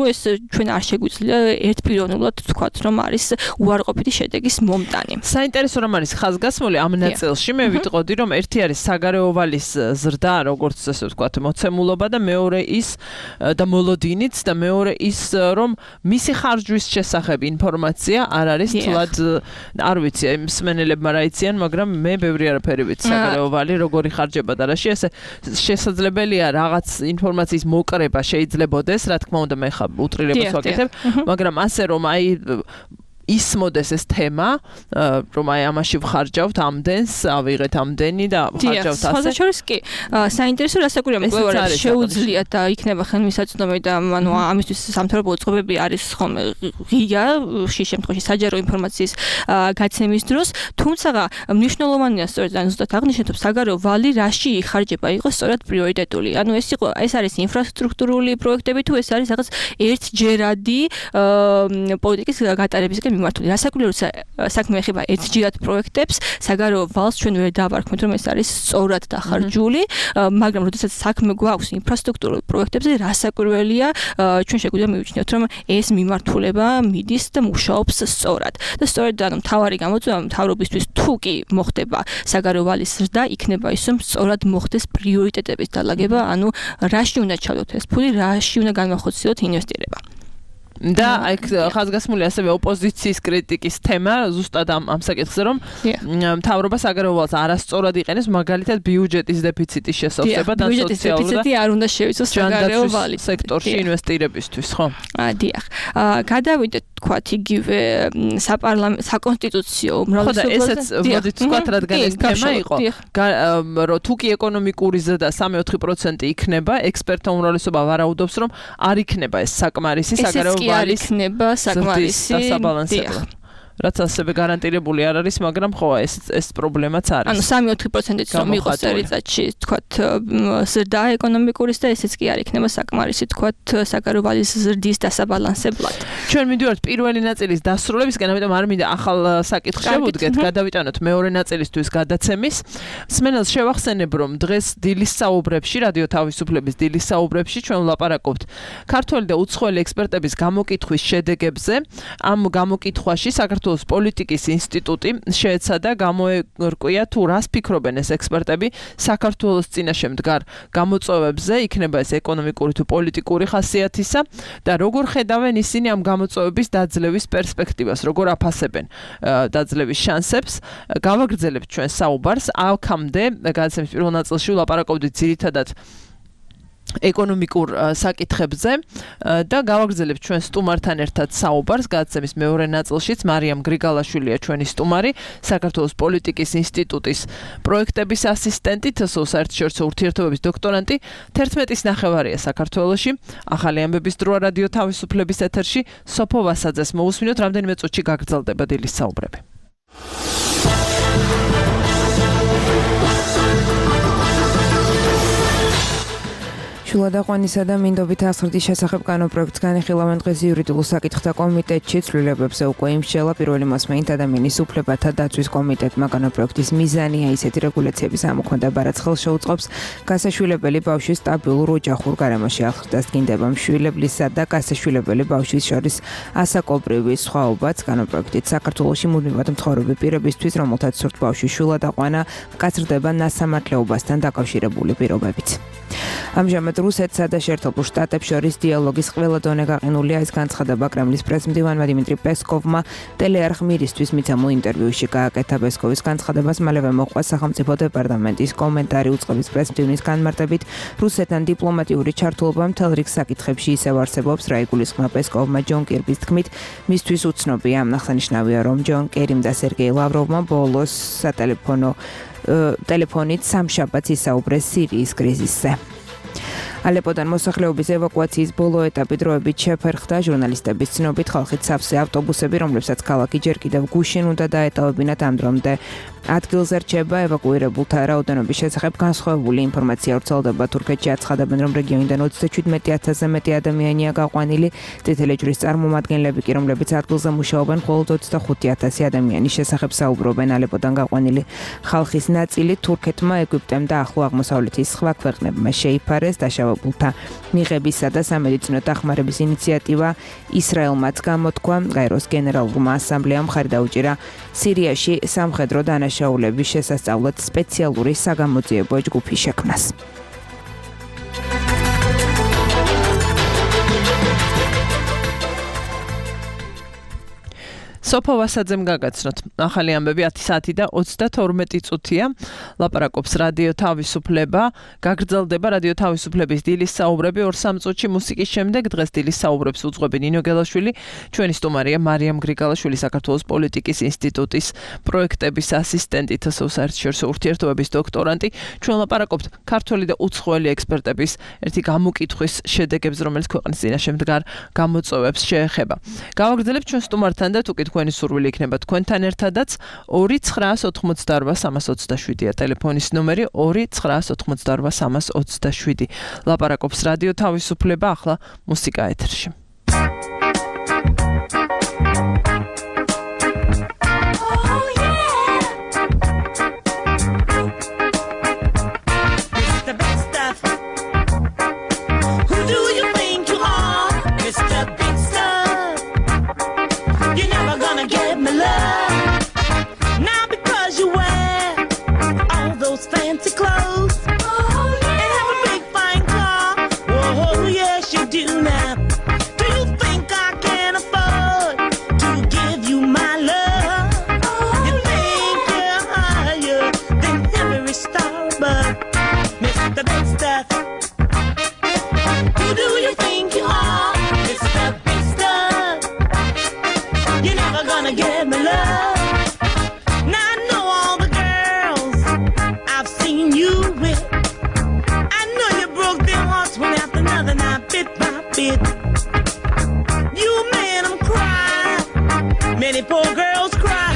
ეს ჩვენ არ შეგვიძლია ერთპიროვნულად ვთქვათ, რომ არის უარყოფითი შედეგის მომტანი. საინტერესო რომ არის ხაზგასმული ამ ნაწილში, მე ვიტყოდი, რომ ერთი არის საგარეო ვალის ზრდა, როგორც ასე ვთქვათ, მოცემულობა და მეორე ის და მოლოდინიც და მეორე ის, რომ მისი ხარჯვის შესახებ ინფორმაცია არ არის თლად, არ ვიცი, მსმენელებმა რა იციან, მაგრამ მე ბევრი არაფერი ვიცი საგარეო ვალი როგორი ხარჯება და რაში, ესე შესაძლებელია რაღაც ინფორმაციის მოკრება შეიძლებოდეს, რა თქმა უნდა მე ხა უტრირებას ვაკეთებ, მაგრამ ასე რომ აი ისმოდეს ეს თემა, რომ აი ამაში ვხარჯავთ ამდენს, ავიღეთ ამდენი და ვხარჯავთ ასე. სხვა შორის კი, საინტერესო რასაკვირია მკვლევარებს შეუძლიათ და იქნება ხელმისაწვდომი და ანუ ამისთვის სამთავრობო წყობები არის ხოლმე ღია, ხშირ შემთხვევაში საჯარო ინფორმაციის გაცემის დროს, თუმცა მნიშვნელოვანია სწორედ ან ზუსტად აღნიშნეთ, რომ საგარეო ვალი რაში იხარჯება იყოს სწორად პრიორიტეტული. ანუ ეს არის ინფრასტრუქტურული პროექტები თუ ეს არის რაღაც ერთჯერადი პოლიტიკის გატარებისკენ მიმართული. რასაკვირველია, საქმე ეხება ერთჯერად პროექტებს, საგარეო ვალს ჩვენ ვერ დავარქმევთ, რომ ეს არის სწორად დახარჯული, მაგრამ როდესაც საქმე გვაქვს ინფრასტრუქტურულ პროექტებზე, რასაკვირველია, ჩვენ შეგვიძლია მივიჩნიოთ, რომ ეს მიმართულება მიდის და მუშაობს სწორად. და სწორედ ანუ მთავარი გამოწვევა მთავრობისთვის თუ კი მოხდება საგარეო ვალის ზრდა, იქნება ის, რომ სწორად მოხდეს პრიორიტეტების დალაგება, ანუ რაში უნდა ჩავდოთ ეს ფული, რაში უნდა განვახორციელოთ ინვესტირება. და აი ხაზგასმული ასევე ოპოზიციის კრიტიკის თემა ზუსტად ამ საკითხზე, რომ მთავრობა საგარეო ვალს არასწორად იყენებს, მაგალითად ბიუჯეტის დეფიციტის შესავსება და ბიუჯეტის დეფიციტი არ უნდა შევიცოს საგარეო ვალის სექტორში ინვესტირებისთვის, ხო? დიახ. გადავიდეთ თქვათ იგივე საკონსტიტუციო უმრავლესობაზე. ესეც მოდით ვთქვათ, რადგან ეს თემა იყო, რომ თუ კი ეკონომიკური ზრდა 3-4% იქნება, ექსპერტთა უმრავლესობა ვარაუდობს, რომ არ იქნება ეს საკმარისი საგარეო არ იქნება საკმარისი დასაბალანსებლად. რაც ასევე გარანტირებული არ არის, მაგრამ ხო ეს პრობლემაც არის. ანუ 3-4%-იც რომ იყოს წელიწადში, თქვათ, ზრდა ეკონომიკურის და ესეც კი არ იქნება საკმარისი, თქვათ, საგარეო ვალის ზრდის დასაბალანსებლად. ჩვენ მივდივართ პირველი ნაწილის დასრულებისკენ, ამიტომ არ მინდა ახალ საკითხს შევუდგეთ, გადავიტანოთ მეორე ნაწილისთვის გადაცემის. მსმენელს შევახსენებ, რომ დღეს დილის საუბრებში, რადიო თავისუფლების დილის საუბრებში ჩვენ ვლაპარაკობთ ქართველი და უცხოელი ექსპერტების გამოკითხვის შედეგებზე. ამ გამოკითხვაში საქართველოს საქართველოს პოლიტიკის ინსტიტუტი შეეცადა გამოერკვია თუ რას ფიქრობენ ეს ექსპერტები საქართველოს წინაშე მდგარ გამოწვევებზე, იქნება ეს ეკონომიკური თუ პოლიტიკური ხასიათისა და როგორ ხედავენ ისინი ამ გამოწვევების დაძლევის პერსპექტივას, როგორ აფასებენ დაძლევის შანსებს. გავაგრძელებთ ჩვენ საუბარს აქამდე გადაცემის პირველ ნაწილში ვლაპარაკობდით ძირითადად ეკონომიკურ საკითხებზე და გავაგრძელებთ ჩვენ სტუმართან ერთად საუბარს გადაცემის მეორე ნაწილშიც მარიამ გრიგალაშვილია ჩვენი სტუმარი საქართველოს პოლიტიკის ინსტიტუტის პროექტების ასისტენტი თსო საერთაშორისო ურთიერთობების დოქტორანტი 11-ის ნახევარია საქართველოში ახალი ამბების დროა რადიო თავისუფლების ეთერში სოფო ვასაძეს მოусმინოთ რამდენიმე წუთში გაგრძელდება დილის საუბრები შულადაყვანისა და მინდობით აღზრდის შესახებ კანონპროექტს განიხილავენ დღეს იურიდიულ საკითხთა კომიტეტში ცვლილებებზე უკვე იმსჯელა პირველი მოსმენით ადამიანის უფლებათა დაცვის კომიტეტმა კანონპროექტის მიზანია ისეთი რეგულაციების ამოქმედება რაც ხელს შეუწყობს გასაშვილებელი ბავშვის სტაბილურ ოჯახურ გარემოში აღზრდას დგინდება მშვილებლისა და გასაშვილებელი ბავშვის შორის ასაკობრივი სხვაობაც კანონპროექტით საქართველოში მუდმივად მცხოვრები პირებისთვის რომელთაც სურთ ბავშვის შულადაყვანა მკაცრდება ნასამართლეობასთან დაკავშირებული პირობებით ამჟამად რუსეთსა და შეერთებულ შტატებს შორის დიალოგის ყველა დონე გაყინულია ეს განცხადება კრემლის პრესმდივანმა დიმიტრი პესკოვმა ტელეარხ მირისთვის მიცემულ ინტერვიუში გააკეთა პესკოვის განცხადებას მალევე მოყვა სახელმწიფო დეპარტამენტის კომენტარი უწყების პრესმდივნის განმარტებით რუსეთთან დიპლომატიური ჩართულობა მთელ რიგ საკითხებში ისევ არსებობს რა იგულისხმება პესკოვმა ჯონ კირბის თქმით მისთვის უცნობია აღსანიშნავია რომ ჯონ კერიმ და სერგეი ლავროვმა ბოლოს ტელეფონით სამშაბათს ისაუბრეს სირიის კრიზისზე ალეპოდან მოსახლეობის ევაკუაციის ბოლო ეტაპი დროებით შეფერხდა ჟურნალისტების ცნობით ხალხით სავსე ავტობუსები რომლებსაც ქალაქი ჯერ კიდევ გუშინ უნდა დაეტოვებინათ ამ დრომდე ადგილზე რჩება ევაკუირებულთა რაოდენობის შესახებ განსხვავებული ინფორმაცია ვრცელდება თურქეთში აცხადებენ რომ რეგიონიდან 37,000-ზე მეტი ადამიანია გაყვანილი წითელი ჯვრის წარმომადგენლები კი რომლებიც ადგილზე მუშაობენ მხოლოდ 25,000 ადამიანის შესახებ საუბრობენ ალეპოდან გაყვანილი ხალხის ნაწილი თურქეთმა ეგვიპტემ და ახლო აღმოსავლეთის სხვა ქვეყნებმა შეიფარეს დაშავებულთა მიღებისა და სამედიცინო დახმარების ინიციატივა ისრაელმაც გამოთქვა გაეროს გენერალურმა ასამბლეამ ხარი დაუჭირა სირიაში სამხედრო დანაშაულების შესასწავლად სპეციალური საგამოძიებო ჯგუფის შექმნას. სოფო ვასაძემ გაგაცნოთ. ახალი ამბები 10 საათი და 32 წუთია. ლაპარაკობს რადიო თავისუფლება. გაგრძელდება რადიო თავისუფლების დილის საუბრები 2-3 წუთში მუსიკის შემდეგ დღეს დილის საუბრებს უძღვები ნინო გელაშვილი. ჩვენი სტუმარია მარიამ გრიგალაშვილი საქართველოს პოლიტიკის ინსტიტუტის პროექტების ასისტენტი თსო საერთაშორისო ურთიერთობების დოქტორანტი. ჩვენ ლაპარაკობთ ქართველი და უცხოელი ექსპერტების ერთი გამოკითხვის შედეგებს რომელიც ქვეყნის წინაშე მდგარ გამოწვევებს შეეხება. გავაგრძელებთ ჩვენ სტუმართან და თუ თქვენი სურვილი იქნება თქვენთან ერთადაც 2988327-ია ტელეფონის ნომერი 2988327. ლაპარაკობს რადიო თავისუფლება ახლა მუსიკა ეთერში. Fancy clothes and have a big fine car. Oh yes, you do now. Do you think I can afford to give you my love? You think you're higher than every star above, Mr. Big Stuff. Who do you think you are, Mr. Big Stuff? You're never gonna give me love. Now I know all the girls I've seen you with. I know you broke their hearts one after another, now bit by bit. You made them cry. Many poor girls cry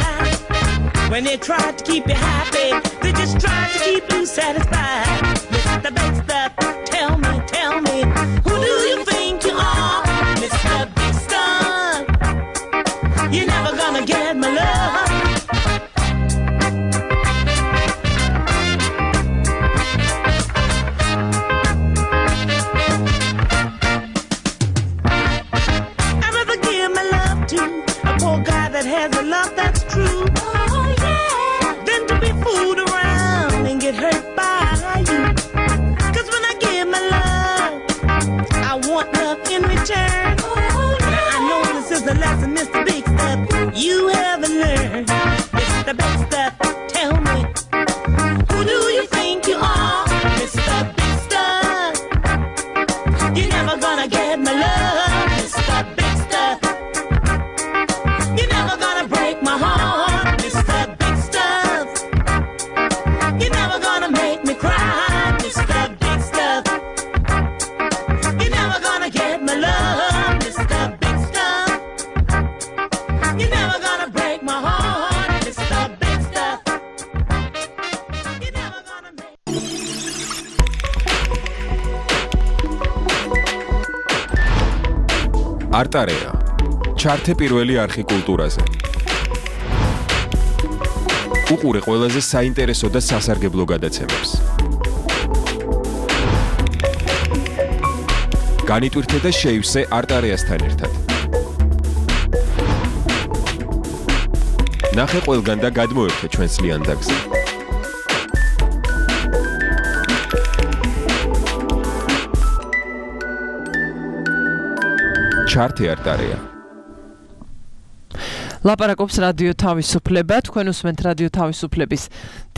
when they tried to keep you happy. They just tried to keep you satisfied. Mr. Big Stuff, tell me, who do you think you are, Mr. Big Stuff? You're never gonna get my love. I'd rather give my love to a poor guy that has a lot არტარეა. ჩართე პირველი არხი კულტურაზე. უყურე ყველაზე საინტერესო და სასარგებლო გადაცემებს. განიტვირთე და შეივსე არტარეასთან ერთად. ნახე ყველგან და გადმოერთე ჩვენს ლიანდაგზე. ჩართე არტარეა. ლაპარაკობს რადიო თავისუფლება, თქვენ უსმენთ რადიო თავისუფლების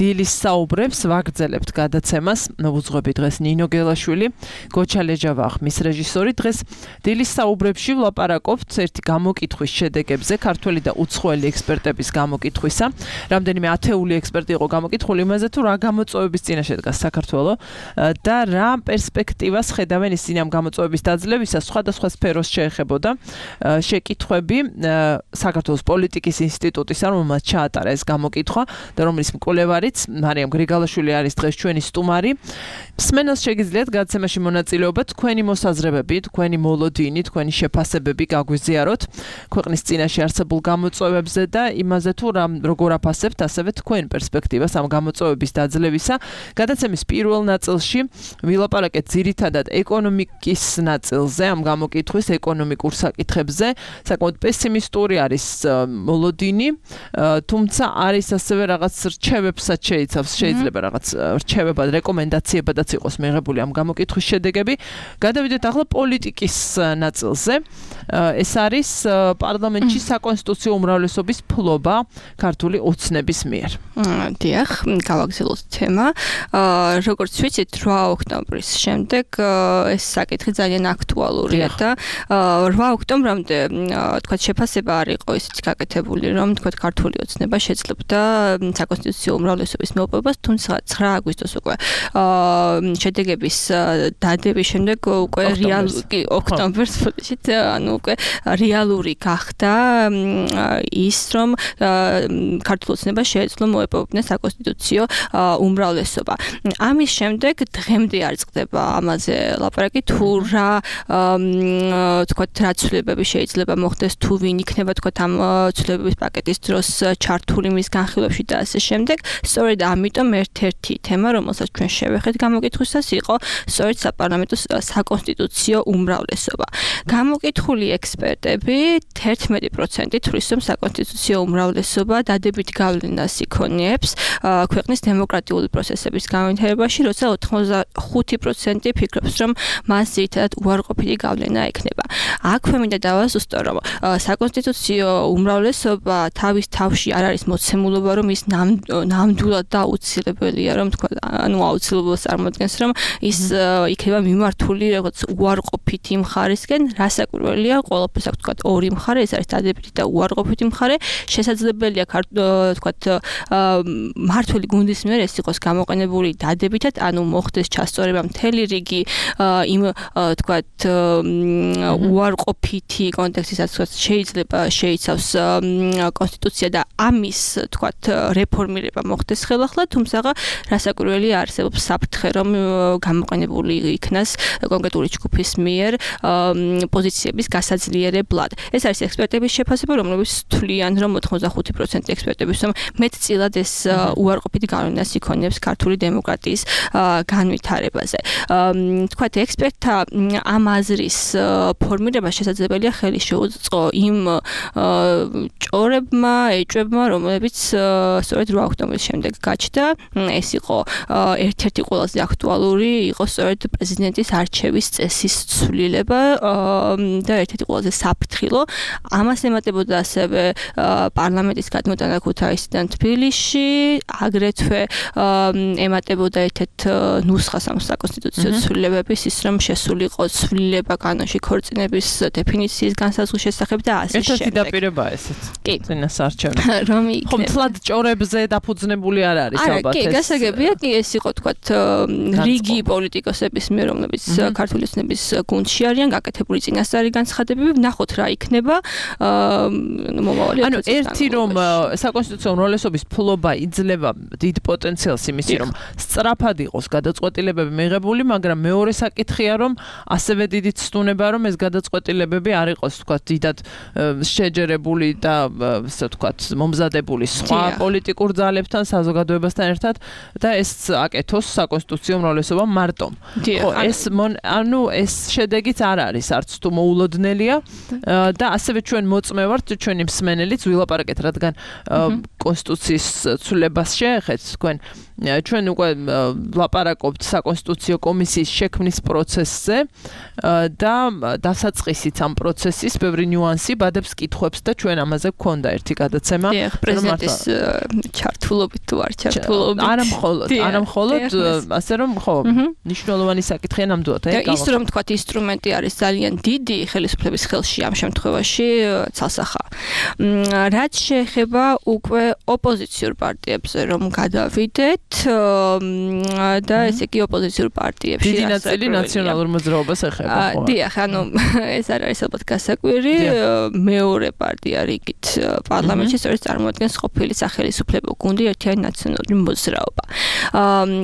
დილის საუბრებს, ვაგრძელებთ გადაცემას, მოუძღვები დღეს ნინო გელაშვილი, გოჩა ლეჯავა ხმის რეჟისორი. დღეს დილის საუბრებში ვლაპარაკობთ ერთი გამოკითხვის შედეგებზე, ქართველი და უცხოელი ექსპერტების გამოკითხვისა. რამდენიმე ათეული ექსპერტი იყო გამოკითხული იმაზე, თუ რა გამოწვევების წინაშე დგას საქართველო და რა პერსპექტივას ხედავენ ისინი ამ გამოწვევების დაძლევისას. სხვადასხვა სფეროს შეეხებოდა შეკითხვები საქართველოს პოლიტიკის ინსტიტუტის, რომელმაც ჩაატარა ეს გამოკითხვა და რომლის მკვლევარიც მარიამ გრიგალაშვილი არის დღეს ჩვენი სტუმარი. მსმენელს შეგიძლიათ გადაცემაში მონაწილეობა, თქვენი მოსაზრებები, თქვენი მოლოდინი, თქვენი შეფასებები გაგვიზიაროთ ქვეყნის წინაშე არსებულ გამოწვევებზე და იმაზე თუ როგორ აფასებთ ასევე თქვენ პერსპექტივას ამ გამოწვევების დაძლევისა. გადაცემის პირველ ნაწილში ვილაპარაკეთ ძირითადად ეკონომიკის ნაწილზე, ამ გამოკითხვის ეკონომიკურ საკითხებზე. საკმაოდ პესიმისტური არის მოლოდინი, თუმცა არის ასევე რაღაც რჩევებსაც შეიცავს, შეიძლება რაღაც რჩევებად, რეკომენდაციებადაც იყოს მიღებული ამ გამოკითხვის შედეგები. გადავიდეთ ახლა პოლიტიკის ნაწილზე. ეს არის პარლამენტში საკონსტიტუციო უმრავლესობის ფლობა ქართული ოცნების მიერ. დიახ, გავაგრძელოთ თემა. როგორც ვიცით, 8 ოქტომბრის შემდეგ ეს საკითხი ძალიან აქტუალურია და 8 ოქტომბრამდე თქვა შეფასება არ იყო ისეთი გაკეთებული, რომ თქვა ქართული ოცნება შეძლებდა საკონსტიტუციო უმრავლესობის მოპოვებას, თუმცა 9 აგვისტოს უკვე შედეგების დადების შემდეგ უკვე რეალური ოქტომბერს ფუტიშით, ანუ უკვე რეალური გახდა ის, რომ ქართული ოცნება შეეძლო მოეპოვებინა საკონსტიტუციო უმრავლესობა. ამის შემდეგ დღემდე არ წყდება ამაზე ლაპარაკი, თუ რა თქვა რა ცვლილებები შეიძლება მოხდეს, თუ ვინ იქნება თქვა ამ ცვლილებების პაკეტის დროს ჩართული მის განხილვებში და ასე შემდეგ. სწორედ ამიტომ ერთ-ერთი თემა, რომელსაც ჩვენ შევეხეთ გამოკითხვისას, იყო სწორედ საპარლამენტო საკონსტიტუციო უმრავლესობა. გამოკითხული ექსპერტები 11% თვლის, რომ საკონსტიტუციო უმრავლესობა დადებით გავლენას იქონიებს ქვეყნის დემოკრატიული პროცესების განვითარებაში, როცა 85% ფიქრობს, რომ მას ძირითადად უარყოფითი გავლენა ექნება. აქვე მინდა დავაზუსტო, რომ საკონსტიტუციო უმრავლესობა თავის თავში არ არის მოცემულობა, რომ ის ნამდვილად და აუცილებელია, რომ თქვა, ანუ აუცილებლობას წარმოადგენს, რომ ის იქნება მიმართული როგორც უარყოფითი მხარისკენ, რასაკვირველია, ყველაფერს აქვს თქვა ორი მხარე, ეს არის დადებითი და უარყოფითი მხარე. შესაძლებელია თქვა მართველი გუნდის მიერ ეს იყოს გამოყენებული დადებითად, ანუ მოხდეს ჩასწორება მთელი რიგი იმ თქვა უარყოფითი კონტექსტისაც შეიძლება შეიცავს კონსტიტუცია და ამის თქვა რეფორმირება მოხდეს ხელახლა, თუმცა რასაკვირველია არსებობს საფრთხე, რომ გამოყენებული იქნას კონკრეტული ჯგუფის მიერ პოზიციების გასაძლიერებლად. ეს არის ექსპერტების შეფასება, რომლებიც თვლიან, რომ 85% ექსპერტების რომ მეტწილად ეს უარყოფითი გავლენას იქონიებს ქართული დემოკრატიის განვითარებაზე. თქვათ ექსპერტთა ამ აზრის ფორმირება შესაძლებელია ხელი შეუწყო იმ ჭორებმა, ეჭვებმა, რომლებიც სწორედ 8 ოქტომბრის შემდეგ გაჩნდა. ეს იყო ერთ-ერთი ყველაზე აქტუალური, იყო სწორედ პრეზიდენტის არჩევის წესის ცვლილება და ერთ-ერთი ყველაზე საფრთხილო. ამას ემატებოდა ასევე პარლამენტის გადმოტანა ქუთაისიდან თბილისში, აგრეთვე ემატებოდა ერთ-ერთ ნუსხას ამ საკონსტიტუციო ცვლილებების, ის რომ შესულიყო ცვლილება კანონში ქორწინების დეფინიციის განსაზღვრის შესახებ და ასე შემდეგ. ერთ-ერთი დაპირება ესეც. კი. წინასარჩევი. რომ ხო, მთლად ჭორებზე დაფუძნებული არ არის ალბათ ეს. კი, გასაგებია, კი, ეს იყო თქვათ რიგი პოლიტიკოსების მიერ, რომლებიც ქართული ოცნების გუნდში არიან, გაკეთებული წინასწარი განცხადებები, ვნახოთ რა იქნება. მომავალი. ანუ ერთი რომ საკონსტიტუციო უმრავლესობის ფლობა იძლევა დიდ პოტენციალს იმისი, რომ სწრაფად იყოს გადაწყვეტილებები მიღებული, მაგრამ მეორე საკითხია, რომ ასევე დიდი ცდუნება, რომ ეს გადაწყვეტილებები არ იყოს, თქვათ, დიდად შეჯერებული და ასე ვთქვათ, მომზადებული სხვა პოლიტიკურ ძალებთან, საზოგადოებასთან ერთად და ეს აკეთოს საკონსტიტუციო უმრავლესობა მარტომ. ხო, ეს შედეგიც არ არის არც თუ მოულოდნელია და ასევე ჩვენ მოწმევართ ჩვენი მსმენელიც ვილაპარაკეთ, რადგან კონსტიტუციის ცვლილებას შეეხეთ თქვენ ჩვენ უკვე ვლაპარაკობთ საკონსტიტუციო კომისიის შექმნის პროცესზე და დასაწყისიც ამ პროცესის ბევრი ნიუანსი ბადებს კითხვებს და ჩვენ ამაზე გვქონდა ერთი გადაცემა პრეზიდენტის ჩართულობით თუ არ ჩართულობით არა მხოლოდ ასე რომ ხო მნიშვნელოვანი საკითხია ნამდვილად ის რომ თქვა ინსტრუმენტი არის ძალიან დიდი ხელისუფლების ხელში ამ შემთხვევაში ცალსახა რაც შეეხება უკვე ოპოზიციურ პარტიებზე რომ გადავიდეთ და ესე იგი ოპოზიციურ პარტიებში დიდი ნაწილი ნაციონალურ მოძრაობას ეხება ხო დიახ ანუ ეს არ არის ალბათ გასაკვირი მეორე პარტია რიგით პარლამენტში სწორედ წარმოადგენს ყოფილი სახელისუფლებო გუნდი ერთიანი ნაციონალური მოძრაობა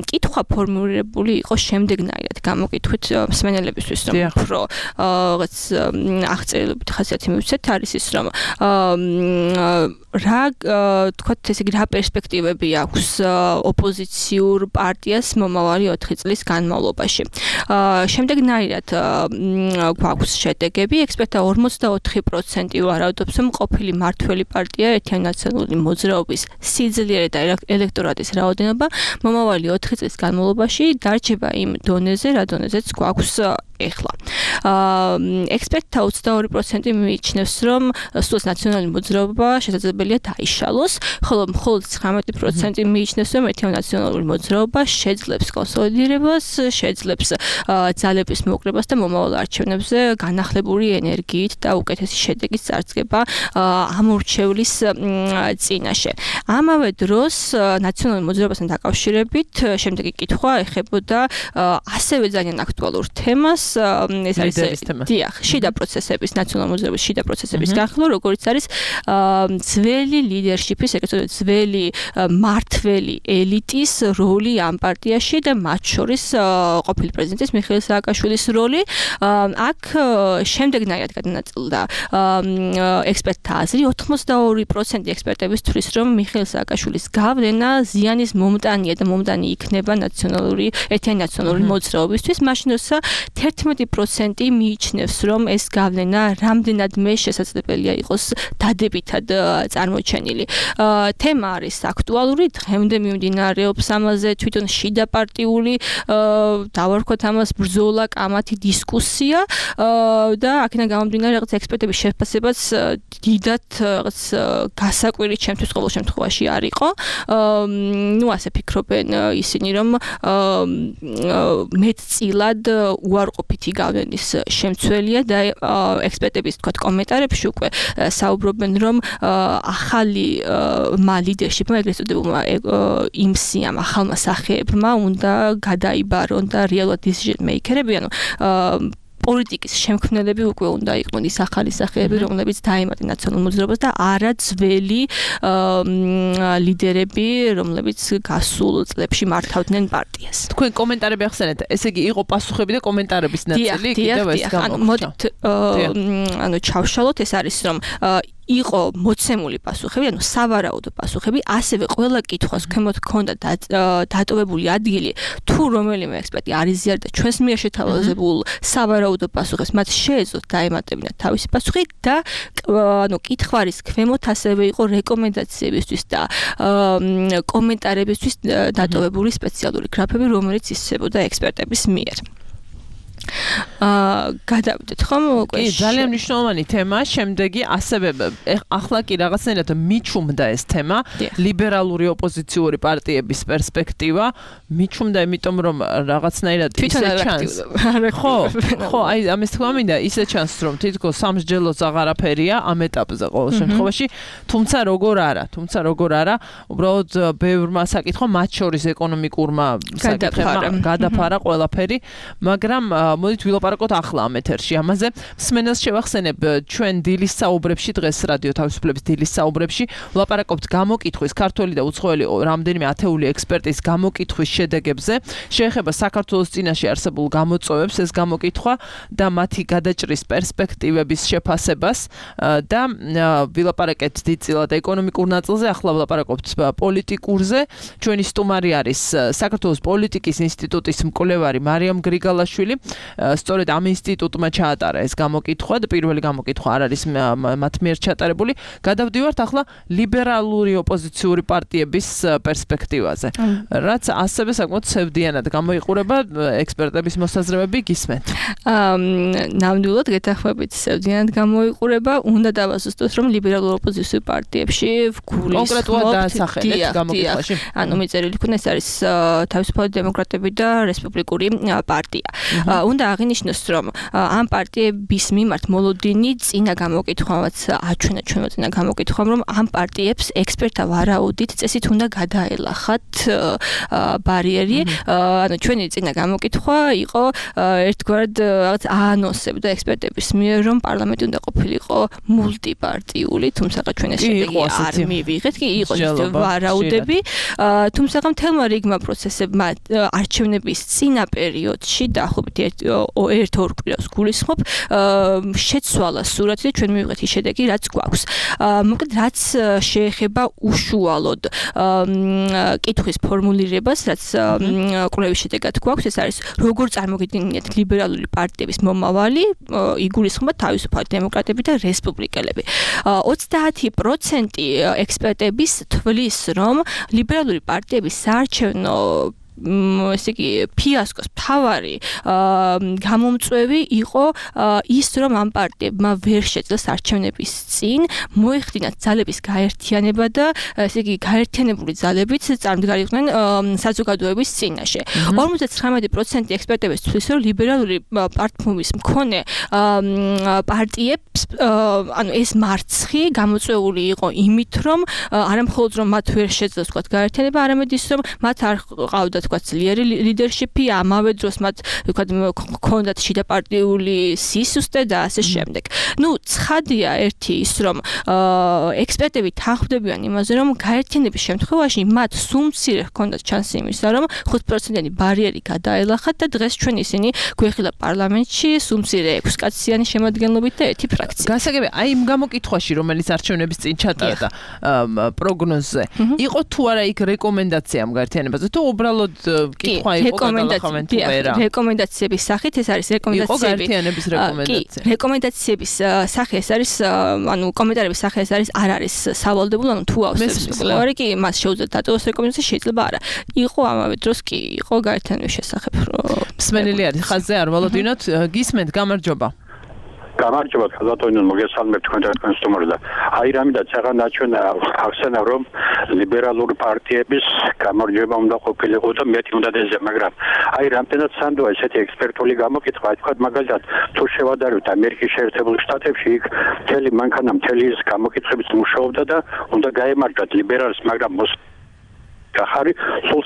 კითხვა ფორმულირებული იყო შემდეგნაირად გამოკითხვით მსმენელებისთვის რომ უფრო რაღაც აღწერილობით ხასიათი მივცეთ არის ის რომ რა თქვათ ესე იგი რა პერსპექტივები აქვს ოპოზიციურ პარტიას მომავალი 4 წლის განმავლობაში. შემდეგნაირად გვაქვს შედეგები, ექსპერტთა 44% ვარაუდობს, რომ ყოფილი მართველი პარტია ერთიანი ნაციონალური მოძრაობის სიძლიერე და ელექტორატის რაოდენობა მომავალი 4 წლის განმავლობაში დარჩება იმ დონეზე, რა დონეზეც გვაქვს ეხლა. ექსპერტთა 22% მიიჩნევს, რომ სულ ნაციონალური მოძრაობა შესაძლებელია დაიშალოს, ხოლო მხოლოდ 19% მიიჩნევს, რომ ერთიანი ნაციონალური მოძრაობა შეძლებს კონსოლიდირებას, შეძლებს ძალების მოკრებას და მომავალ არჩევნებზე განახლებული ენერგიით და უკეთესი შედეგის წარსდგება ამორჩევლის წინაშე. ამავე დროს ნაციონალური მოძრაობასთან დაკავშირებით შემდეგი კითხვა ეხებოდა ასევე ძალიან აქტუალურ თემას ეს არის დიახ, შიდა პროცესების, ნაციონალური მოძრაობის შიდა პროცესების განხილვა, როგორც არის ძველი ლიდერშიპის, ეგრეთ წოდებული ძველი მართველი ელიტის როლი ამ პარტიაში და მათ შორის ყოფილი პრეზიდენტის მიხეილ სააკაშვილის როლი. აქ შემდეგნაირად გადანაწილდა ექსპერტთა აზრი, 82% ექსპერტების თვლის, რომ მიხეილ სააკაშვილის გავლენა ზიანის მომტანია და მომტანი იქნება ნაციონალური ერთიანი ნაციონალური მოძრაობისთვის, მაშინ როცა 11% მიიჩნევს, რომ ეს გავლენა რამდენადმე შესაძლებელია იყოს დადებითად წარმოჩენილი. თემა არის აქტუალური, დღემდე მიმდინარეობს ამაზე თვითონ შიდა პარტიული დავარქვათ ამას ბრძოლა, კამათი, დისკუსია და აქედან გამომდინარე რაღაც ექსპერტების შეფასებაც დიდად რაღაც გასაკვირი ჩემთვის ყოველ შემთხვევაში არ იყო. ნუ ასე ფიქრობენ ისინი, რომ მეტწილად უარყოფითი გავლენის შემცველია და ექსპერტების თქვათ კომენტარებში უკვე საუბრობენ, რომ ახალი ლიდერშიპმა ეგრეთ წოდებულმა იმსიამ ახალმა სახეებმა უნდა გადაიბარონ და რეალურად decision maker-ები, ანუ პოლიტიკის შემქმნელები უკვე უნდა იყვნენ ის ახალი სახეები, რომლებიც დაემატნენ ნაციონალურ მოძრაობას და არა ძველი ლიდერები, რომლებიც გასულ წლებში მართავდნენ პარტიას. თქვენ კომენტარები ახსენეთ, ესე იგი იყო პასუხები და კომენტარების ნაწილი კიდევ ეს გამოგვიჩნდა. ანუ ჩავშალოთ, ეს არის რომ იყო მოცემული პასუხები, ანუ სავარაუდო პასუხები, ასევე ყველა კითხვას ქვემოთ ჰქონდა დატოვებული ადგილი, თუ რომელიმე ექსპერტი არ იზიარდა ჩვენს მიერ შეთავაზებულ სავარაუდო პასუხებს, მათ შეეძლოთ დაემატებინათ თავისი პასუხი და ანუ კითხვარის ქვემოთ ასევე იყო რეკომენდაციებისთვის და კომენტარებისთვის დატოვებული სპეციალური გრაფები, რომელიც ისწრებოდა ექსპერტების მიერ. გადავიდეთ ხომ უკვე. კი, ძალიან მნიშვნელოვანი თემაა. შემდეგი ასევე ახლა კი რაღაცნაირად მიჩუმდა ეს თემა, ლიბერალური ოპოზიციური პარტიების პერსპექტივა. მიჩუმდა, იმიტომ რომ რაღაცნაირად ისე ჩანს. ხო, აი ამის თქმა მინდა, ისე ჩანს, რომ თითქოს სამსჯელოც აღარაფერია ამ ეტაპზე ყოველ შემთხვევაში, თუმცა როგორ არა, უბრალოდ ბევრმა საკითხმა, მათ შორის ეკონომიკურმა საკითხებმა გადაფარა ყველაფერი, მაგრამ მოდით ვილაპარაკოთ ახლა ამ ეთერში ამაზე. მსმენელს შევახსენებ, ჩვენ დილის საუბრებში, დღეს რადიო თავისუფლების დილის საუბრებში ვლაპარაკობთ გამოკითხვის ქართველი და უცხოელი რამდენიმე ათეული ექსპერტის გამოკითხვის შედეგებზე. შეეხება საქართველოს წინაშე არსებულ გამოწვევებს ეს გამოკითხვა და მათი გადაჭრის პერსპექტივების შეფასებას და ვილაპარაკეთ დიდწილად ეკონომიკურ ნაწილზე, ახლა ვლაპარაკობთ პოლიტიკურზე. ჩვენი სტუმარი არის საქართველოს პოლიტიკის ინსტიტუტის მკვლევარი მარიამ გრიგალაშვილი. სწორედ ამ ინსტიტუტმა ჩაატარა ეს გამოკითხვა და პირველი გამოკითხვა არ არის მათ მიერ ჩატარებული. გადავდივართ ახლა ლიბერალური ოპოზიციური პარტიების პერსპექტივაზე. რაც ასევე საკმაოდ ცევდიანად გამოიყურება ექსპერტების მოსაზრებები გისმენთ. ნამდვილად გეთანხმებით ცევდიანად გამოიყურება. უნდა დავასუსტოთ, რომ ლიბერალურ ოპოზიციურ პარტიებში კონკრეტულად დაასახელეთ გამოკითხვაში. ანუ მიწერილი იქნა ეს არის თავისუფალი დემოკრატები და რესპუბლიკური პარტია. უნდა აღინიშნოს, რომ ამ პარტიების მიმართ მოლოდინი წინა გამოკითხვამაც აჩვენა ჩვენო წინა გამოკითხვამ, რომ ამ პარტიებს ექსპერტთა ვარაუდით წესით უნდა გადაელახათ ბარიერი. ანუ ჩვენი წინა გამოკითხვა იყო ერთგვარად რაღაც აანონსებდა ექსპერტების მიერ, რომ პარლამენტი უნდა ყოფილიყო მულტიპარტიული, თუმცა ჩვენ ეს შედეგი არ მივიღეთ, კი იყო ვარაუდები, თუმცა მთელმა რიგმა პროცესებმა არჩევნების წინა პერიოდში დაახლოებით ერთ-ორ კვირას გულისხმობ, შეცვალა სურათი და ჩვენ მივიღეთ ის შედეგი, რაც გვაქვს. მოკლედ, რაც შეეხება უშუალოდ კითხვის ფორმულირებას, რაც კვლევის შედეგად გვაქვს, ეს არის როგორ წარმოგიდგენიათ ლიბერალური პარტიების მომავალი, იგულისხმება თავისუფალი დემოკრატები და რესპუბლიკელები. 30% ექსპერტების თვლის, რომ ლიბერალური პარტიების საარჩევნო ესე იგი ფიასკოს მთავარი გამომწვევი იყო ის, რომ ამ პარტიებმა ვერ შეძლეს არჩევნების წინ მოეხდინათ ძალების გაერთიანება და ესე იგი გაერთიანებული ძალებით წარმდგარიყვნენ საზოგადოების წინაშე. 59% ექსპერტების თვლის, რომ ლიბერალური პარტიის მქონე პარტიებს ანუ ეს მარცხი გამოწვეული იყო იმით, რომ არამხოლოდ რომ მათ ვერ შეძლეს თქვა გაერთიანება, არამედ ის, რომ მათ არ ყავდათ თქვა ძლიერი ლიდერშიპი, ამავე დროს მათ თქვა ჰქონდათ შიდაპარტიული სისუსტე და ასე შემდეგ. ნუ ცხადია ერთი ის, რომ ექსპერტები თანხმდებიან იმაზე, რომ გაერთიანების შემთხვევაში მათ სულ-მცირე ჰქონდათ ჩანსი იმისა, რომ 5%-იანი ბარიერი გადაელახათ და დღეს ჩვენ ისინი გვეხილა პარლამენტში სულ-მცირე 6 კაციანი შემადგენლობით და ერთი ფრაქცია. გასაგებია, აი იმ გამოკითხვაში, რომელიც არჩევნების წინ ჩატარდა პროგნოზზე, იყო თუ არა იქ რეკომენდაცია ამ გაერთიანებაზე, თუ უბრალოდ კითხვა იყო გადალახავენ თუ არა. რეკომენდაციების სახით ეს არის რეკომენდაციები. იყო გაერთიანების რეკომენდაცია. კი, რეკომენდაციების სახე ეს არის, ანუ კომენტარების სახე ეს არის, არ არის სავალდებულო, ანუ თუ ავსებს მკვლევარი კი მას შეუძლია დატოვოს რეკომენდაცია, შეიძლება არა. იყო ამავე დროს კი იყო გაერთიანების შესახებ. მსმენელი არის ხაზზე არ ვალოდინოთ, გისმენთ, გამარჯობა. გამარჯობა, ბატონო, მოგესალმებთ თქვენ და თქვენ სტუმარს და აი რამიდაც აღარ აჩვენა ახსენა, რომ ლიბერალური პარტიების გამარჯვება უნდა ყოფილიყო და მეტი უნდა დეზე, მაგრამ აი რამდენად სანდოა ესეთი ექსპერტული გამოკითხვა, თქვა მაგალითად თუ შევადარებთ ამერიკის შეერთებულ შტატებში, იქ მთელი მანქანა მთელი ის გამოკითხების მუშაობდა და უნდა გაემარჯვათ ლიბერალს, მაგრამ ახარი სულ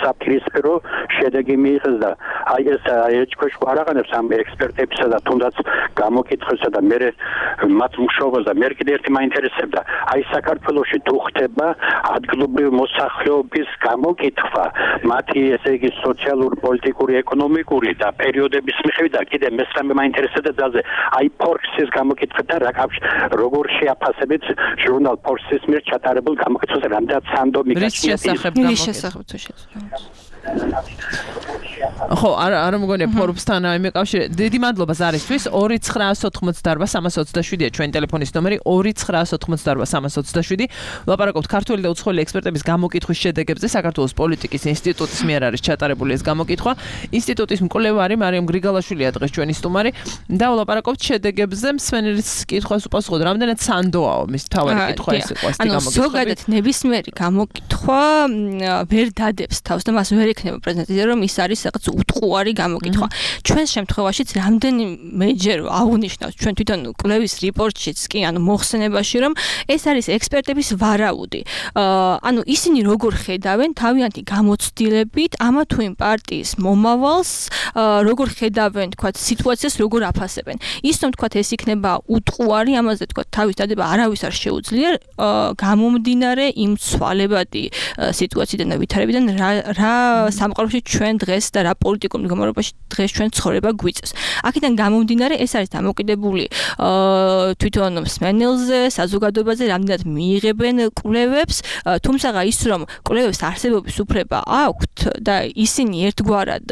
საფრთხისფერო შედეგი მიიღეს და აი ეს ეჭქვეშ არაღანებს ამ ექსპერტებისა და თუნდაც გამოკითხვისა და მე მათ მუშაობას და მე კიდე ერთი მაინტერესებდა აი საქართველოში თუ ხდება ადგილობრივი მოსახლეობის გამოკითხვა მათი ესე იგი სოციალური, პოლიტიკური, ეკონომიკური და პერიოდების მიხედვით და კიდე მესამე მაინტერესებდა ძალზე აი ფორქსის გამოკითხვა და როგორ შეაფასებით ჟურნალ ფორქსის მიერ ჩატარებულ გამოკითხვას რამდენად სანდო მიგაჩნია შესახებ თუ შეცდომას. ხო, არ მგონია Forbes-თან მეკავშირე. დიდი მადლობა ზარისთვის. 2988327-ია ჩვენი ტელეფონის ნომერი 2988327. ვლაპარაკობთ ქართული და უცხოელი ექსპერტების გამოკითხვის შედეგებზე. საქართველოს პოლიტიკის ინსტიტუტის მიერ არის ჩატარებული ეს გამოკითხვა. ინსტიტუტის მკვლევარი მარიამ გრიგალაშვილია დღეს ჩვენი სტუმარი და ვლაპარაკობთ შედეგებზე. მსმენელის კითხვას უპასუხოთ, რამდენად სანდოაო მის თავარი კითხვა ეს იყო ასეთი გამოკითხვა. ზოგადად ნებისმიერი გამოკითხვა ვერ დადებს თავს და მას ვერ ექნება პრეზენტაცია, რომ ის არის რაღაც უტყუარი გამოკითხვა. ჩვენ შემთხვევაშიც რამდენიმეჯერ აღნიშნავს ჩვენ თვითონ კვლევის რიპორტშიც კი მოხსენებაში, რომ ეს არის ექსპერტების ვარაუდი. ანუ ისინი როგორ ხედავენ თავიანთი გამოცდილებით ამა თუ იმ პარტიის მომავალს, როგორ ხედავენ, თქვათ, სიტუაციას როგორ აფასებენ. ის რომ თქვათ ეს იქნება უტყუარი, ამაზე თქვათ თავის დადება არავის არ შეუძლია, გამომდინარე იმ ცვალებადი სიტუაციიდან და ვითარებიდან რა სამყაროში ჩვენ დღეს და რა პოლიტიკურ მდგომარეობაში დღეს ჩვენ ცხოვრება გვიწევს. აქედან გამომდინარე ეს არის დამოკიდებული თვითონ მსმენელზე, საზოგადოებაზე, რამდენად მიიღებენ კვლევებს, თუმცა ის რომ კვლევებს არსებობის უფლება აქვთ და ისინი ერთგვარად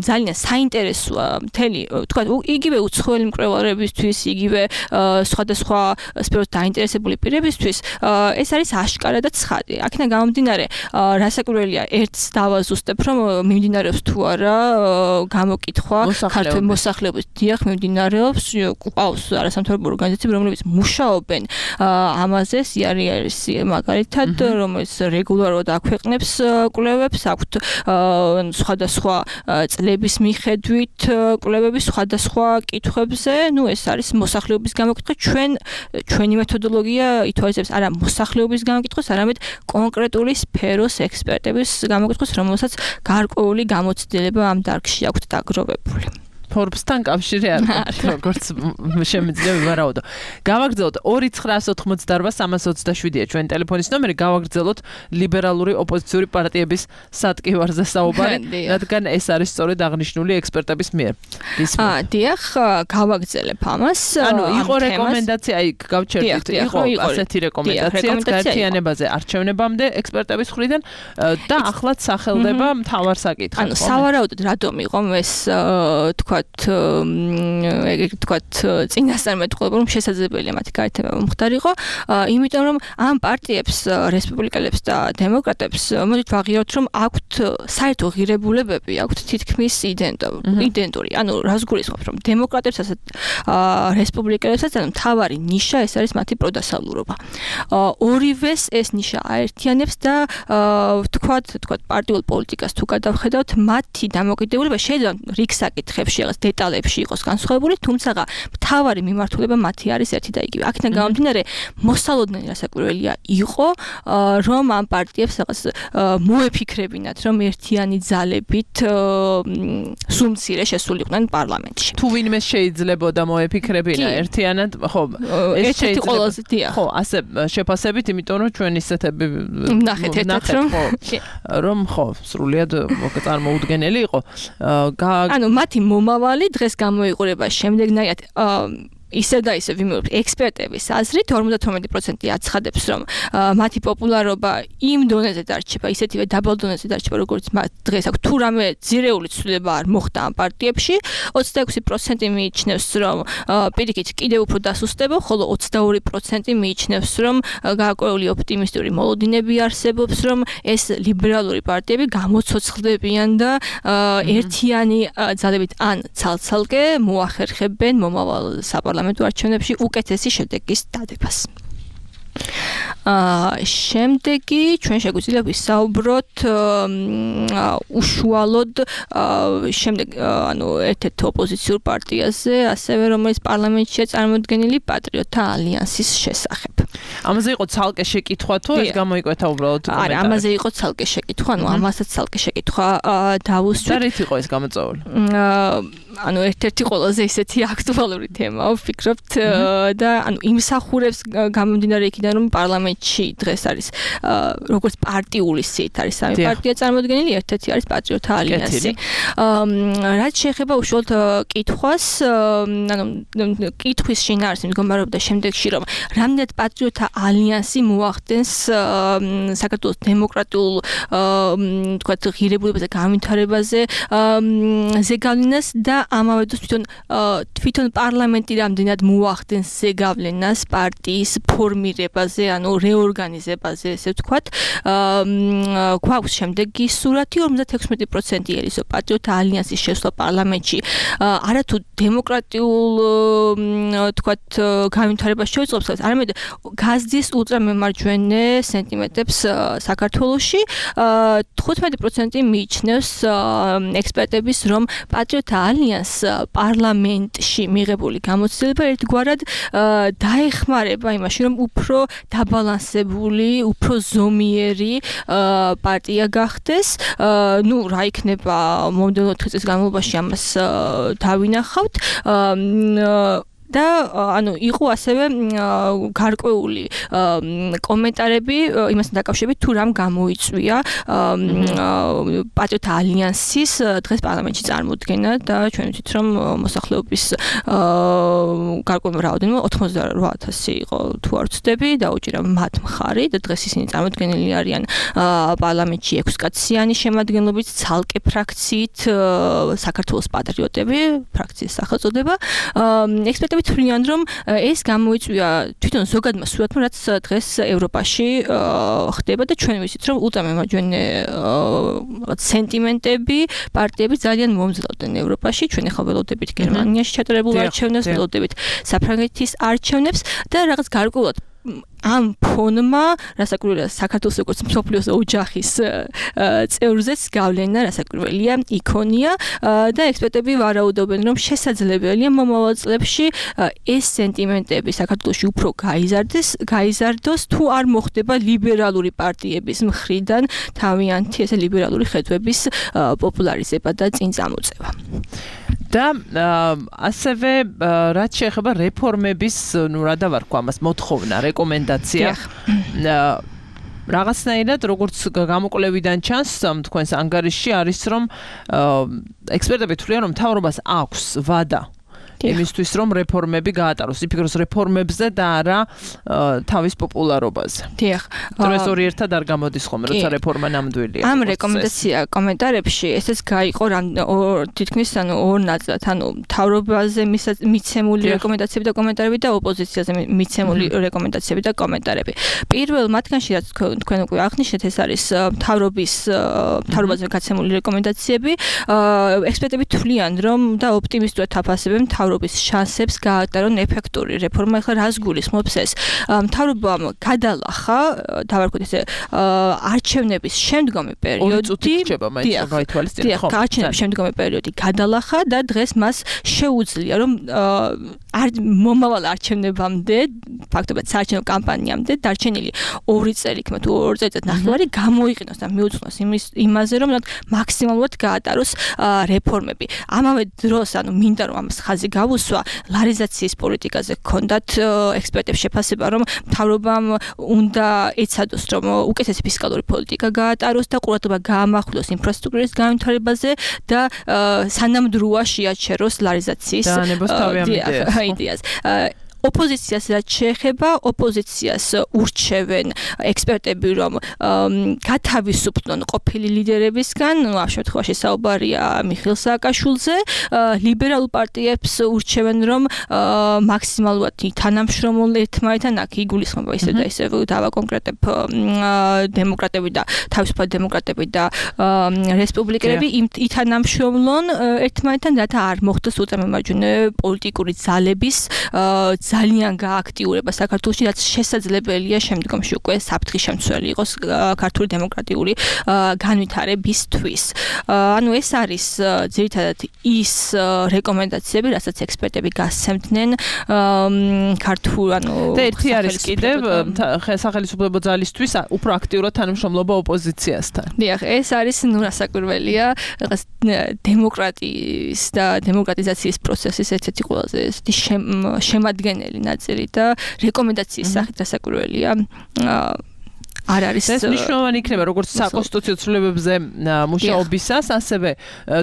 ძალიან საინტერესოა მთელი, თქვა, იგივე უცხოელი მკვლევარებისთვის, იგივე სხვადასხვა სფეროს დაინტერესებული პირებისთვის, ეს არის აშკარა და ცხადი. აქედან გამომდინარე, რასაკვირველია, ერთს დავაზუსტებ, რომ მიმდინარეობს თუ არა გამოკითხვა ქართული მოსახლეობის დიახ მიმდინარეობს, ყავს არასამთავრობო ორგანიზაციები, რომლებიც მუშაობენ ამაზე, არის მაგალითად, რომელიც რეგულარულად აქვეყნებს კვლევებს, აქვთ სხვადასხვა წლების მიხედვით კვლევები სხვადასხვა კითხვებზე, ეს არის მოსახლეობის გამოკითხვა, ჩვენი მეთოდოლოგია ითვალისწინებს არა მოსახლეობის გამოკითხვას, არამედ კონკრეტული სფეროს ექსპერტების გამოკითხვას, რომელსაც გარკვეული გამოცდილება ამ დარგში აქვთ დაგროვებული. Forbes-თან კავშირი არ აქვს, როგორც შემიძლია ვივარაუდო. გავაგრძელოთ 2988327-ია ჩვენი ტელეფონის ნომერი, გავაგრძელოთ ლიბერალური ოპოზიციური პარტიების სატკივარზე საუბარი, რადგან ეს არის სწორედ აღნიშნული ექსპერტების მიერ. დიახ, გავაგრძელებ ამას. ანუ იყო რეკომენდაცია, გავჩერდით, იყო ასეთი რეკომენდაცია გაერთიანებაზე არჩევნებამდე ექსპერტების მხრიდან და ახლაც სახელდება მთავარ საკითხად. ანუ სავარაუდოდ რატომ იყო ეს თქვათ წინასწარმეტყველება, რომ შესაძლებელია მათი გაერთიანება მომხდარიყო, იმიტომ რომ ამ პარტიებს, რესპუბლიკელებს და დემოკრატებს მოდით ვაღიაროთ, რომ აქვთ საერთო ღირებულებები, აქვთ თითქმის იდენტური. ანუ რას გულისხმობ, რომ დემოკრატებსაც რესპუბლიკელებსაც მთავარი ნიშა ეს არის მათი პროდასალურობა. ორივეს ეს ნიშა აერთიანებს და თქვათ პარტიულ პოლიტიკას თუ გადავხედავთ, მათი დამოკიდებულება შეიძლება რიგ საკითხებში დეტალებში იყოს განსხვავებული, თუმცა მთავარი მიმართულება მათი არის ერთი და იგივე. აქედან გამომდინარე, მოსალოდნელი რასაკვირველია იყო, რომ ამ პარტიებს რაღაც მოეფიქრებინათ, რომ ერთიანი ძალებით სულ მცირე შესულიყვნენ პარლამენტში. თუ ვინმე შეიძლებოდა მოეფიქრებინა ერთიანად, ხო, ეს შეიძლება. ხო, ასე შეფასებით, იმიტომ რომ ჩვენ ისეთები ნახეთ, რომ ხო, სრულიად წარმოუდგენელი იყო. ანუ მათი მომავალი დღეს გამოიყურება შემდეგნაირად ისევ და ისევ ვიმეორებ ექსპერტების აზრით 52% აცხადებს, რომ მათი პოპულარობა იმ დონეზე დარჩება, ისეთივე დაბალ დონეზე დარჩება, როგორც დღეს აქვს. თუ რამე ძირეული ცვლილება არ მოხდა ამ პარტიებში, 26% მიიჩნევს, რომ პირიქით კიდევ უფრო დასუსტება, ხოლო 22% მიიჩნევს, რომ გააკვეული ოპტიმისტური მოლოდინები არსებობს, რომ ეს ლიბერალური პარტიები გამოცოცხლდებიან და ერთიანი ძალებით ან ცალ-ცალკე მოახერხებენ მომავალ საპარლამენტო არჩევნებში უკეთესი შედეგის დადებას. შემდეგი ჩვენ შეგვიძლია ვისაუბროთ უშუალოდ შემდეგ ერთ-ერთ ოპოზიციურ პარტიაზე, ასევე რომელიც პარლამენტშია წარმოდგენილი პატრიოტთა ალიანსის შესახებ. ამაზე იყო ცალკე შეკითხვა თუ ეს გამოიკვეთა უბრალოდ კომენტარი? არა, ამაზე იყო ცალკე შეკითხვა, ამასაც ცალკე შეკითხვა დავუსვით. და რით იყო ეს გამოწვეული? ერთ-ერთი ყველაზე ისეთი აქტუალური თემაა, ვფიქრობთ და იმსახურებს გამომდინარე იქიდან, რომ პარლამენტში დღეს არის როგორც პარტიული სიით არის სამი პარტია წარმოდგენილი, ერთ-ერთი არის პატრიოტთა ალიანსი. რაც შეეხება უშუალოდ კითხვას, კითხვის შინაარსს მდგომარეობდა შემდეგში, რომ რამდენად პატრიოტთა პატრიოტთა ალიანსი მოახდენს საქართველოს დემოკრატიულ თქვათ ღირებულებაზე განვითარებაზე ზეგავლენას და ამავე დროს თვითონ პარლამენტი რამდენად მოახდენს ზეგავლენას პარტიის ფორმირებაზე, ანუ რეორგანიზებაზე, ესე ვთქვათ. გვაქვს შემდეგი სურათი 56% ელისო პატრიოტთა ალიანსის შესვლა პარლამენტში არათუ დემოკრატიულ თქვათ განვითარებას შეუწყობს, არამედ გაზრდის ულტრამემარჯვენე სენტიმენტებს საქართველოში 15% მიიჩნევს ექსპერტების, რომ პატრიოტთა ალიანს პარლამენტში მიღებული გამოცდილება ერთგვარად დაეხმარება იმაში, რომ უფრო დაბალანსებული, უფრო ზომიერი პარტია გახდეს. რა იქნება მომდევნო წლის განმავლობაში ამას დავინახავთ. და ანუ იყო ასევე გარკვეული კომენტარები იმასთან დაკავშირებით თუ რამ გამოიწვია პატრიოტთა ალიანსის დღეს პარლამენტში წარმოდგენა და ჩვენ ვიცით რომ მოსახლეობის გარკვეული რაოდენობა 88,000 იყო თუ არ ვცდები დაუჭირა მათ მხარი და დღეს ისინი წარმოდგენილი არიან პარლამენტში 6 კაციანი შემადგენლობით ცალკე ფრაქციით საქართველოს პატრიოტები ფრაქციის სახელწოდება ექსპერტები თვლიან რომ ეს გამოიწვია თვითონ ზოგადმა სურათმა რაც დღეს ევროპაში ხდება და ჩვენ ვიცით რომ ულტრამემარჯვენე სენტიმენტები პარტიები ძალიან მომძლავრდნენ ევროპაში ჩვენ ახლა ველოდებით გერმანიაში ჩატარებულ არჩევნებს ველოდებით საფრანგეთის არჩევნებს და რაღაც გარკვეულად ამ ფონმა რასაკვირველია საქართველოს როგორც მსოფლიოს ოჯახის წევრზეც გავლენა რასაკვირველია იქონია და ექსპერტები ვარაუდობენ რომ შესაძლებელია მომავალ წლებში ეს სენტიმენტები საქართველოში უფრო გაიზარდოს თუ არ მოხდება ლიბერალური პარტიების მხრიდან თავიანთი ესე ლიბერალური ხედვების პოპულარიზება და წინ წამოწევა და ასევე რაც შეეხება რეფორმების რა დავარქვა ამას მოთხოვნა რეკომენდაცია რაღაცნაირად როგორც გამოკვლევიდან ჩანს თქვენს ანგარიშში არის რომ ექსპერტები თვლიან რომ მთავრობას აქვს ვადა იმისთვის რომ რეფორმები გაატაროს იფიქროს რეფორმებზე და არა თავის პოპულარობაზე. დიახ. ეს ორი ერთად არ გამოდის ხოლმე, როცა რეფორმა ნამდვილია. ამ რეკომენდაცია კომენტარებში ესეც გაიყო თითქმის ორ ნაწილად, ანუ მთავრობაზე მიცემული რეკომენდაციები და კომენტარები და ოპოზიციაზე მიცემული რეკომენდაციები და კომენტარები. პირველ მათგანში რაც თქვენ უკვე აღნიშნეთ, ეს არის მთავრობაზე გაცემული რეკომენდაციები. ექსპერტები თვლიან რომ და ოპტიმისტურად აფასებენ მთავრობის შანსებს გაატარონ ეფექტური რეფორმა. ახლა რას გულისხმობს ეს? მთავრობამ გადალახა, დავარქვით ესე, არჩევნების შემდგომი პერიოდი. არჩევნების შემდგომი პერიოდი გადალახა და დღეს მას შეუძლია რომ მომავალ არჩევნებამდე, ფაქტობრივად საარჩევნო კამპანიამდე დარჩენილი 2 წელი, თუ 2 წელიწად ნახევარი გამოიყენოს და მიუძღვნოს იმაზე რომ მაქსიმალურად გაატაროს რეფორმები. ამავე დროს, ანუ მინდა რომ ამას ხაზი გავუსვა, ლარიზაციის პოლიტიკაზე ჰქონდათ ექსპერტებს შეფასება, რომ მთავრობამ უნდა ეცადოს, რომ უკეთესი ფისკალური პოლიტიკა გაატაროს და ყურადღება გაამახვილოს ინფრასტრუქტურის განვითარებაზე და სანამდროა შეაჩეროს ლარიზაციის იდეას. ოპოზიციას რაც შეეხება, ოპოზიციას ურჩევენ ექსპერტები, რომ გათავისუფლონ ყოფილი ლიდერებისგან, ამ შემთხვევაში საუბარია მიხეილ სააკაშვილზე, ლიბერალურ პარტიებს ურჩევენ, რომ მაქსიმალურად თანამშრომლ ერთმანეთთან აქ იგულისხმება ისე და ისე დავაკონკრეტებ დემოკრატები და თავისუფალი დემოკრატები და რესპუბლიკელები ითანამშრომლონ ერთმანეთთან, რათა არ მოხდეს ულტრამემარჯვენე პოლიტიკური ძალების ძალიან გააქტიურება საქართველოში, რაც შესაძლებელია შემდგომში უკვე საფრთხის შემცველი იყოს ქართული დემოკრატიული განვითარებისთვის. ანუ ეს არის ძირითადად ის რეკომენდაციები, რასაც ექსპერტები გასცემდნენ ქართულ და ერთი არის კიდევ სახელმწიფო ძალისთვის უფრო აქტიურად თანამშრომლობა ოპოზიციასთან. დიახ, ეს არის რასაკვირველია, რაღაც დემოკრატიის და დემოკრატიზაციის პროცესის ერთ-ერთი ყველაზე შემადგენელი ნაწილი და რეკომენდაციის სახით რასაკვირველია არ არის ეს მნიშვნელოვანი იქნება როგორც საკონსტიტუციო ცვლილებებზე მუშაობისას, ასევე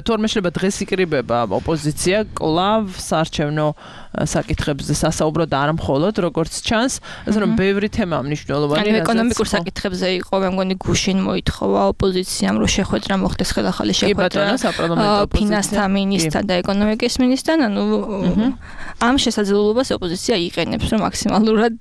თორმე შეიძლება დღეს იკრიბება ოპოზიცია კლავ საარჩევნო საკითხებზე სასაუბრო და არა მხოლოდ როგორც ჩანს, ასე რომ ბევრი თემაა მნიშვნელოვანი. ეკონომიკურ საკითხებზე იყო, მე მგონი გუშინ მოითხოვა ოპოზიციამ, რომ შეხვედრა მოხდეს ხელახალი შეხვედრა ფინანსთა მინისტრთან და ეკონომიკის მინისტრთან, ანუ ამ შესაძლებლობას ოპოზიცია იყენებს, რომ მაქსიმალურად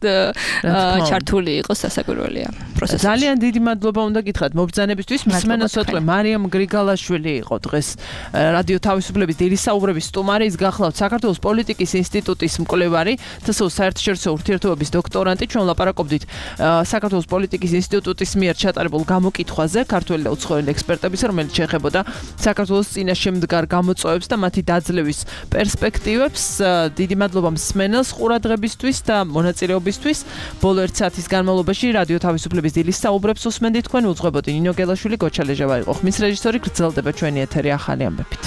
ჩართული იყოს სასაკვირველია პროცესში. ძალიან დიდი მადლობა უნდა გითხრათ მობრძანებისთვის. მსმენელს ვეთქვი მარიამ გრიგალაშვილი იყო დღეს რადიო თავისუფლების დილის საუბრების სტუმარი, ის გახლავთ საქართველოს პოლიტიკის ინსტიტუტის მკვლევარი, თსო საერთაშორისო ურთიერთობების დოქტორანტი. ჩვენ ლაპარაკობდით საქართველოს პოლიტიკის ინსტიტუტის მიერ ჩატარებულ გამოკითხვაზე, ქართველი და უცხოელი ექსპერტების, რომელიც შეეხებოდა საქართველოს წინაშემდგარ გამოწვევებს და მათი დაძლევის პერსპექტივებს. დიდი მადლობა მსმენელს ყურადღებისთვის და მონაწილეობისთვის. ბოლო 1 საათის განმავლობაში რადიო თავისუფლების დილის საუბრებს უსმენდით თქვენ. უძღვებოდი ნინო გელაშვილი, გოჩა ლეჟავა იყო ხმის რეჟისორი. გრძელდება ჩვენი ეთერი ახალი ამბებით.